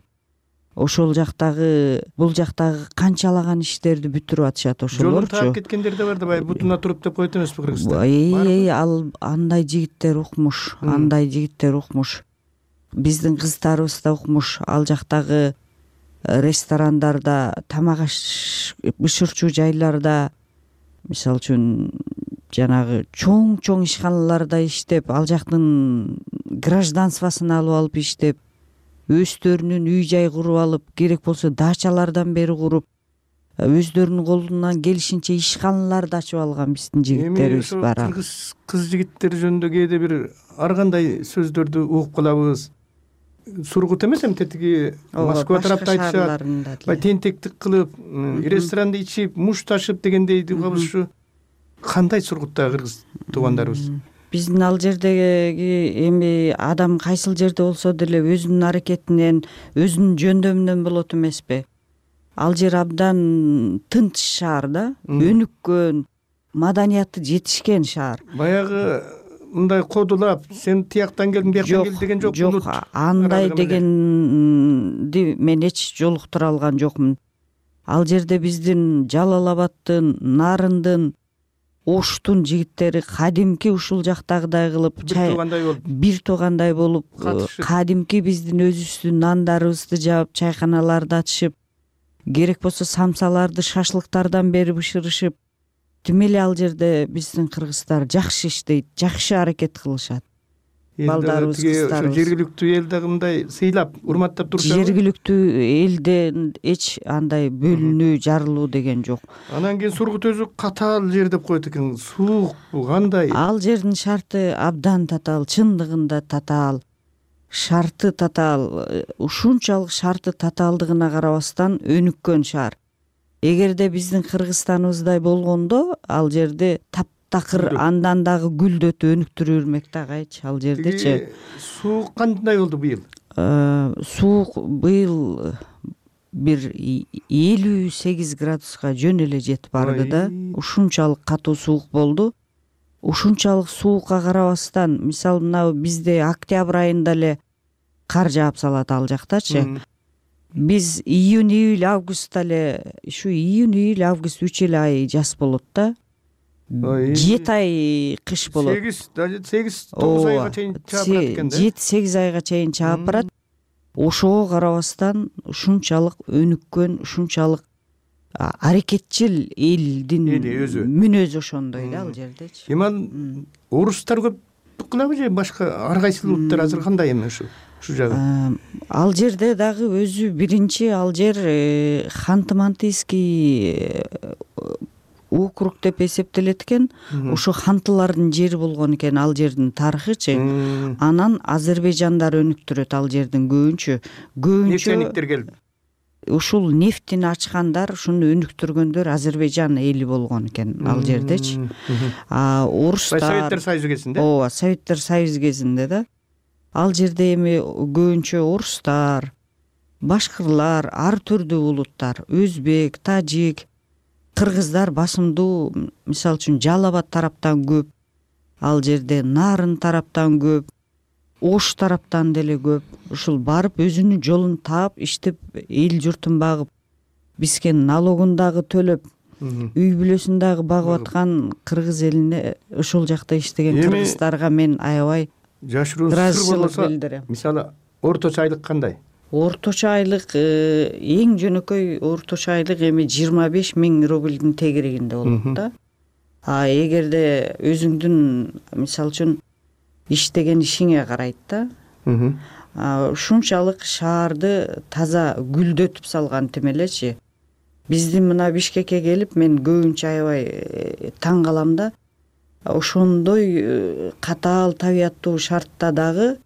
ошол жактагы, бул жактагы канчалаган иштерди бүтүрүп атышат ошолорчу. Жолун таап кеткендер да бар да, баягы бутуна туруп деп коет эмеспи кыргыздар? Эй, ал андай жигиттер укмуш, андай жигиттер укмуш. Биздин кыздарыбыз да укмуш. Ал жактагы ресторандарда, тамак бышырчу жайларда, мисалы үчүн жанагы чоң-чоң ишканаларда иштеп, ал жактын гражданствосын алып алып иштеп, өздөрүнүн үй жай куруп алып, керек болсо дачалардан бери куруп, өздөрүнүн колунан келишинче ишканаларды ачып алган биздин жигиттерибиз бар. Эми кыргыз кыз жигиттер жөнүндө кээде бир ар кандай сөздөрдү угуп калабыз. Сургут эмес эми тетиги Москва тарапта айтышат. Бай тентектик кылып, ресторанда ичип, муш ташып дегендей угабыз ушу. Кандай Сургуттагы кыргыз туугандарыбыз? биздин ал жердеги эми адам кайсыл жерде болсо деле өзүнүн аракетинен өзүнүн жөндөмүнөн болот эмеспи. Ал жер абдан тынч шаар да, өнүккөн, маданияты жетишкен шаар. Баягы мындай кодулап, сен тияктан келдиң, бияктан келдиң деген жок. Жок, андай дегенди мен эч жолуктура алган жокмун. Ал жерде биздин Жалал Абадтын, Нарындын, Оштун жигиттери кадимки ушул жактагыдай кылып бир туугандай болуп, кадимки биздин өзүбүздүн нандарыбызды жаап, чайканаларды ачышып, керек болсо самсаларды шашлыктардан бери бышырышып, тим эле ал жерде биздин кыргыздар жакшы иштейт, жакшы аракет кылышат. Балдарыбыз, кыздарыбыз. Жергиликтүү эл дагы мындай сыйлап, урматтап турушат. Жергиликтүү элден эч андай бөлүнүү, жарылуу деген жок. Анан кийин Сургут өзү катаал жер деп коет экен. Суук кандай? Ал жердин шарты абдан татаал, чындыгында татаал. Шарты татаал, ушунчалык шарты татаалдыгына карабастан өнүккөн шаар. Эгерде биздин Кыргызстаныбыздай болгондо, ал жерде таптакыр андан дагы гүлдөт өнүктүрө бермек да кайчы ал жердечи. Суук кандай болду быйыл? Суук быйыл бир элүү сегиз градуска жөн эле жетип барды да. Ушунчалык катуу суук болду. Ушунчалык суукка карабастан, мисалы мына бизде октябрь айында эле кар жаап салат ал жактачы. Биз июнь, июль, августта эле, ушу июнь, июль, август үч эле ай жаз болот да. жети ай кыш болот. сегиз, сегиз, тогуз айга чейин чаап барат экен да. жети сегиз айга чейин чаап барат. Ошого карабастан ушунчалык өнүккөн, ушунчалык аракетчил элдин мүнөзү ошондой да ал жердечи. Эми орустар көп кылабы же башка ар кайсы улуттар азыр кандай эми ушу? Ал жерде дагы өзү биринчи ал жер Ханты-Мансийский округ деп эсептелет экен. Ушу хантылардын жери болгон экен ал жердин тарыхычы. Анан Азербайжандар өнүктүрөт ал жердин көбүнчө. Көбүнчө нефтяниктер келип. Ушул нефтини ачкандар, ушуну өнүктүргөндөр Азербайжан эли болгон экен ал жердечи. А орустар Советтер Союзу кезинде. Ооба, Советтер Союзу кезинде да. Ал жерде эми көбүнчө орустар, башкырлар, ар түрдүү улуттар, өзбек, тажик, кыргыздар басымдуу, мисалы үчүн Жалал Абад тараптан көп, ал жерде Нарын тараптан көп, Ош тараптан деле көп. Ушул барып өзүнүн жолун таап, иштеп, эл журтун багып, бизге налогун дагы төлөп, үй бүлөсүн дагы багып аткан кыргыз элине ушул жакта иштеген кыргыздарга мен аябай жашыруу сыр болсо, мисалы орточо айлык кандай? Орточо айлык эң жөнөкөй орточо айлык эми жыйырма беш миң рубльдин тегерегинде болот да. А эгерде өзүңдүн мисалы үчүн иштеген ишиңе карайт да. Ушунчалык шаарды таза гүлдөтүп салган тим элечи. Биздин мына Бишкекке келип мен көбүнчө аябай таң калам да. Ошондой катаал табияттуу шартта дагы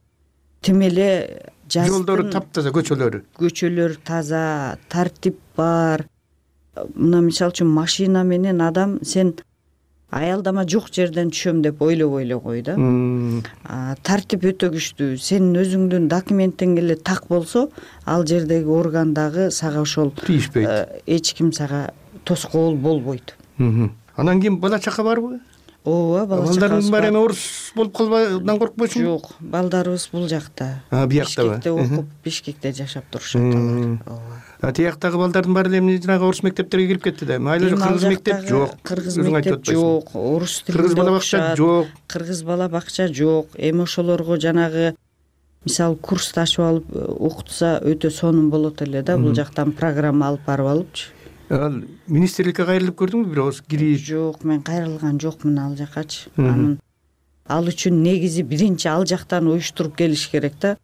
тим эле жолдору таптаза, көчөлөрү. Көчөлөр таза, тартип бар. Мына мисалы үчүн машина менен адам сен аялдама жок жерден түшөм деп ойлобой эле кой да. Тартип өтө күчтүү. Сенин өзүңдүн документиң эле так болсо, ал жердеги орган дагы сага ошол эч ким сага тоскоол болбойт. Анан кийин бала чака барбы? Ооба, бала чакабыз бар. Балдарың бар эми орус болуп калбайдан коркпойсуңбу? Жок, балдарыбыз бул жакта. Бияктабы? Бишкекте окуп, Бишкекте жашап турушат алар. Ооба. Тияктагы балдардын баары эле жанагы орус мектептерге кирип кетти да. Майла кыргыз мектеп жок. Кыргыз мектеп жок, орус тилинде кыргыз бала бакча жок. Кыргыз бала бакча жок. Эми ошолорго жанагы мисалы курсту ачып алып окутса өтө сонун болот эле да. Бул жактан программа алып барып алыпчы. Ал министрликке кайрылып көрдүңбү бир ооз кирип? Жок, мен кайрылган жокмун ал жакачы. Анын ал үчүн негизи биринчи ал жактан уюштуруп келиш керек да.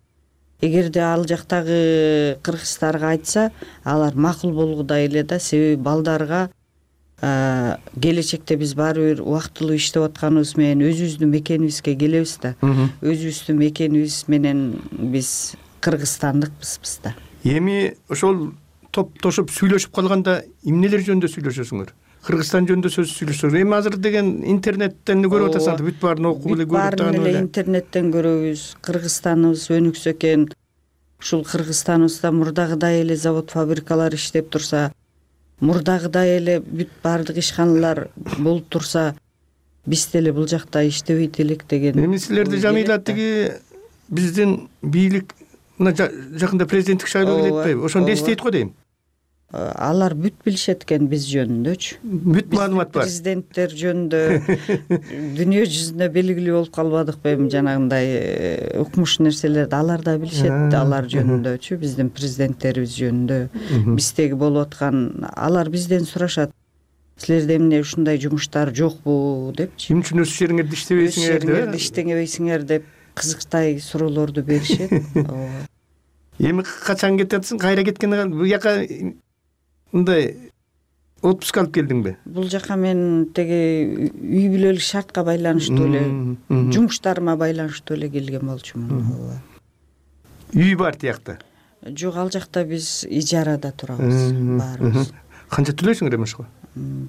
Эгерде ал жактагы кыргыздарга айтса, алар макул болгудай эле да, себеби балдарга келечекте биз баары бир убактылуу иштеп атканыбыз менен өзүбүздүн мекенибизге келебиз да. Өзүбүздүн мекенибиз менен биз кыргызстандыкпызбыз да. Эми ошол топтошуп сүйлөшүп калганда эмнелер жөнүндө сүйлөшөсүңөр? Кыргызстан жөнүндө сөз сүйлөшсөк, эми азыр деген интернеттен көрүп атасың, бүт баарын окуп эле көрүп атасың. Бүт баарын эле интернеттен көрөбүз. Кыргызстаныбыз өнүксө экен. Ушул Кыргызстаныбызда мурдагыдай эле завод, фабрикалар иштеп турса, мурдагыдай эле бүт баардык ишканалар болуп турса, биз деле бул жакта иштебейт элек деген. Эми силерди Жамиля тиги биздин бийлик мына жакында президенттик шайлоо келет атпайбы? Ошону эстейт го дейм. Алар бүт билишет экен биз жөнүндөчү. Бүт маалымат бар. Президенттер жөнүндө дүйнө жүзүндө белгилүү болуп калбадыкпы эми жанагындай укмуш нерселерди алар да билишет, алар жөнүндөчү, биздин президенттерибиз жөнүндө, биздеги болуп аткан, алар бизден сурашат. Силерде эмне ушундай жумуштар жокпу депчи. Эмне үчүн өз жериңерде иштебейсиңер деп, иштебейсиңер деп кызыктай суроолорду беришет. Эми качан кетесиң? Кайра кеткенде бул жака мындай отпуск алып келдиңби? Бул жака мен теги үй бүлөлүк шартка байланыштуу эле, жумуштарыма байланыштуу эле келген болчумун. Үй бар тиякта? Жок, ал жакта биз ижарада турабыз баарыбыз. Канча төлөйсүңөр эми ошого?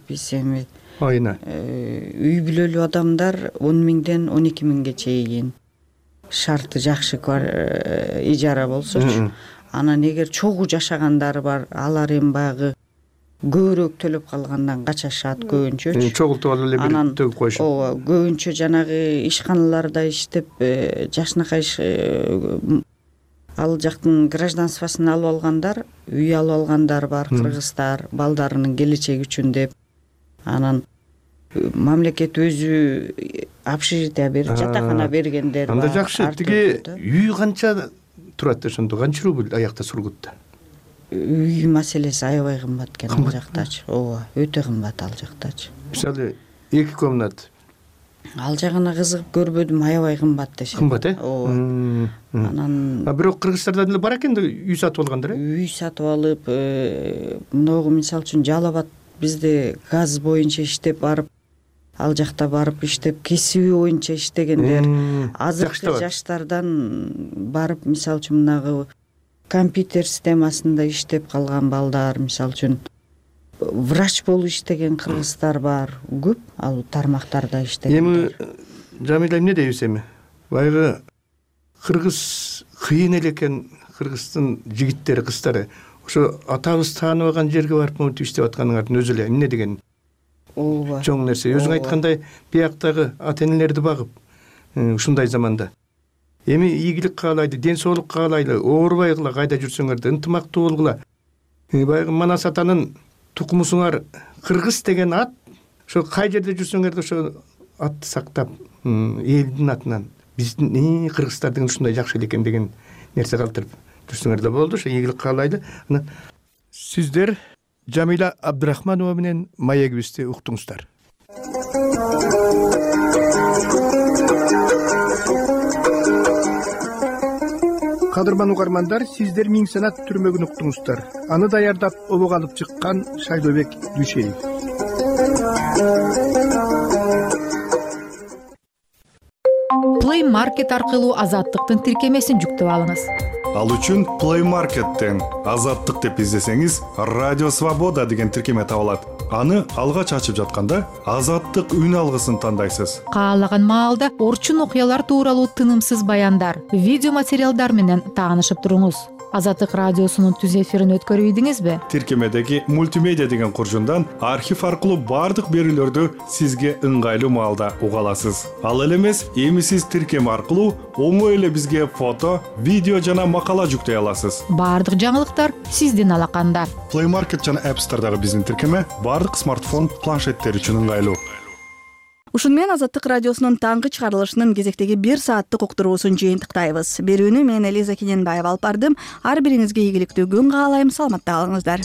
Биз эми айына үй бүлөлүү адамдар он миңден он эки миңге чейин шарты жакшы ижара болсочу. Анан эгер чогуу жашагандар бар, алар эми баягы көбүрөөк төлөп калгандан качашат көбүнчөчү. Чогултуп алып эле бир төгүп коюшат. Ооба, көбүнчө жанагы ишканаларда иштеп, жакшынакай ал жактын гражданствосын алып алгандар, үй алып алгандар бар, кыргыздар, балдарынын келечеги үчүн деп. Анан мамлекет өзү общежитие берип, жатакана бергендер бар. Анда жакшы. Тиги үй канча турат ошондо, канча рубль аякта Сургутта? Үй маселеси аябай кымбат экен ал жактачы. Ооба, өтө кымбат ал жактачы. Мисалы эки комнат. Ал жагына кызыгып көрбөдүм, аябай кымбат дешет. Кымбат, э? Ооба. Анан А бирок кыргыздарда деле бар экен да үй сатып алгандар, э? Үй сатып алып, мыногу мисалы үчүн Жалал Абад бизде газ боюнча иштеп барып, ал жакта барып иштеп, кесиби боюнча иштегендер, азыркы жаштардан барып, мисалы үчүн мынагы компьютер системасында иштеп калган балдар, мисалы үчүн врач болуп иштеген кыргыздар бар, көп ал тармактарда иштеген. Эми Жамиля эмне дейбиз эми? Баягы кыргыз кыйын эле экен, кыргыздын жигиттери, кыздары. Ошо атабыз тааныбаган жерге барып монтип иштеп атканыңардын өзү эле эмне деген ооба чоң нерсе. Өзүң айткандай, бияктагы ата энелерди багып, ушундай заманда. Эми ийгилик каалайды, ден соолук каалайлы, оорубайгыла, кайда жүрсөңөр да ынтымактуу болгула. Баягы Манас атанын тукумусуңар кыргыз деген ат, ошо кай жерде жүрсөңөр да ошо атты сактап, элдин атынан биздин кыргыздар деген ушундай жакшы экен деген нерсе калтырып жүрсөңөр да болду. Ошо ийгилик каалайлы. Сиздер Жамиля Абдрахманова менен маегибизди уктуңуздар. Кадырман угармандар, сиздер Миң санат түрмөгүн уктуңуздар. Аны даярдап обого алып чыккан Шайлообек Дүйшеев. Play Market аркылуу Азаттыктын тиркемесин жүктөп алыңыз. Ал үчүн Play Market'тен Азаттык деп издесеңиз, Радио Свобода деген тиркеме табылат. Аны алгач ачып жатканда Азаттык үн алгысын тандайсыз. Каалаган маалда орчун окуялар тууралуу тынымсыз баяндар, видео материалдар менен таанышып туруңуз. Азаттык радиосунун түз эфирин өткөрүп ийдиңизби? Тиркемедеги мультимедиа деген куржундан архив аркылуу бардык берүүлөрдү сизге ыңгайлуу маалда уга аласыз. Ал эле эмес, эми сиз тиркеме аркылуу оңой эле бизге фото, видео жана макала жүктөй аласыз. Бардык жаңылыктар сиздин алаканда. Play Market жана App Store'дагы биздин тиркеме бардык смартфон, планшеттер үчүн ыңгайлуу. Ушун менен Азаттык радиосунун таңкы чыгарылышынын кезектеги бир сааттык уктуруусун жыйынтыктайбыз. Берүүнү мен Элиза Кененбаева алып бардым. Ар бириңизге ийгиликтүү күн каалайм. Саламатта калыңыздар.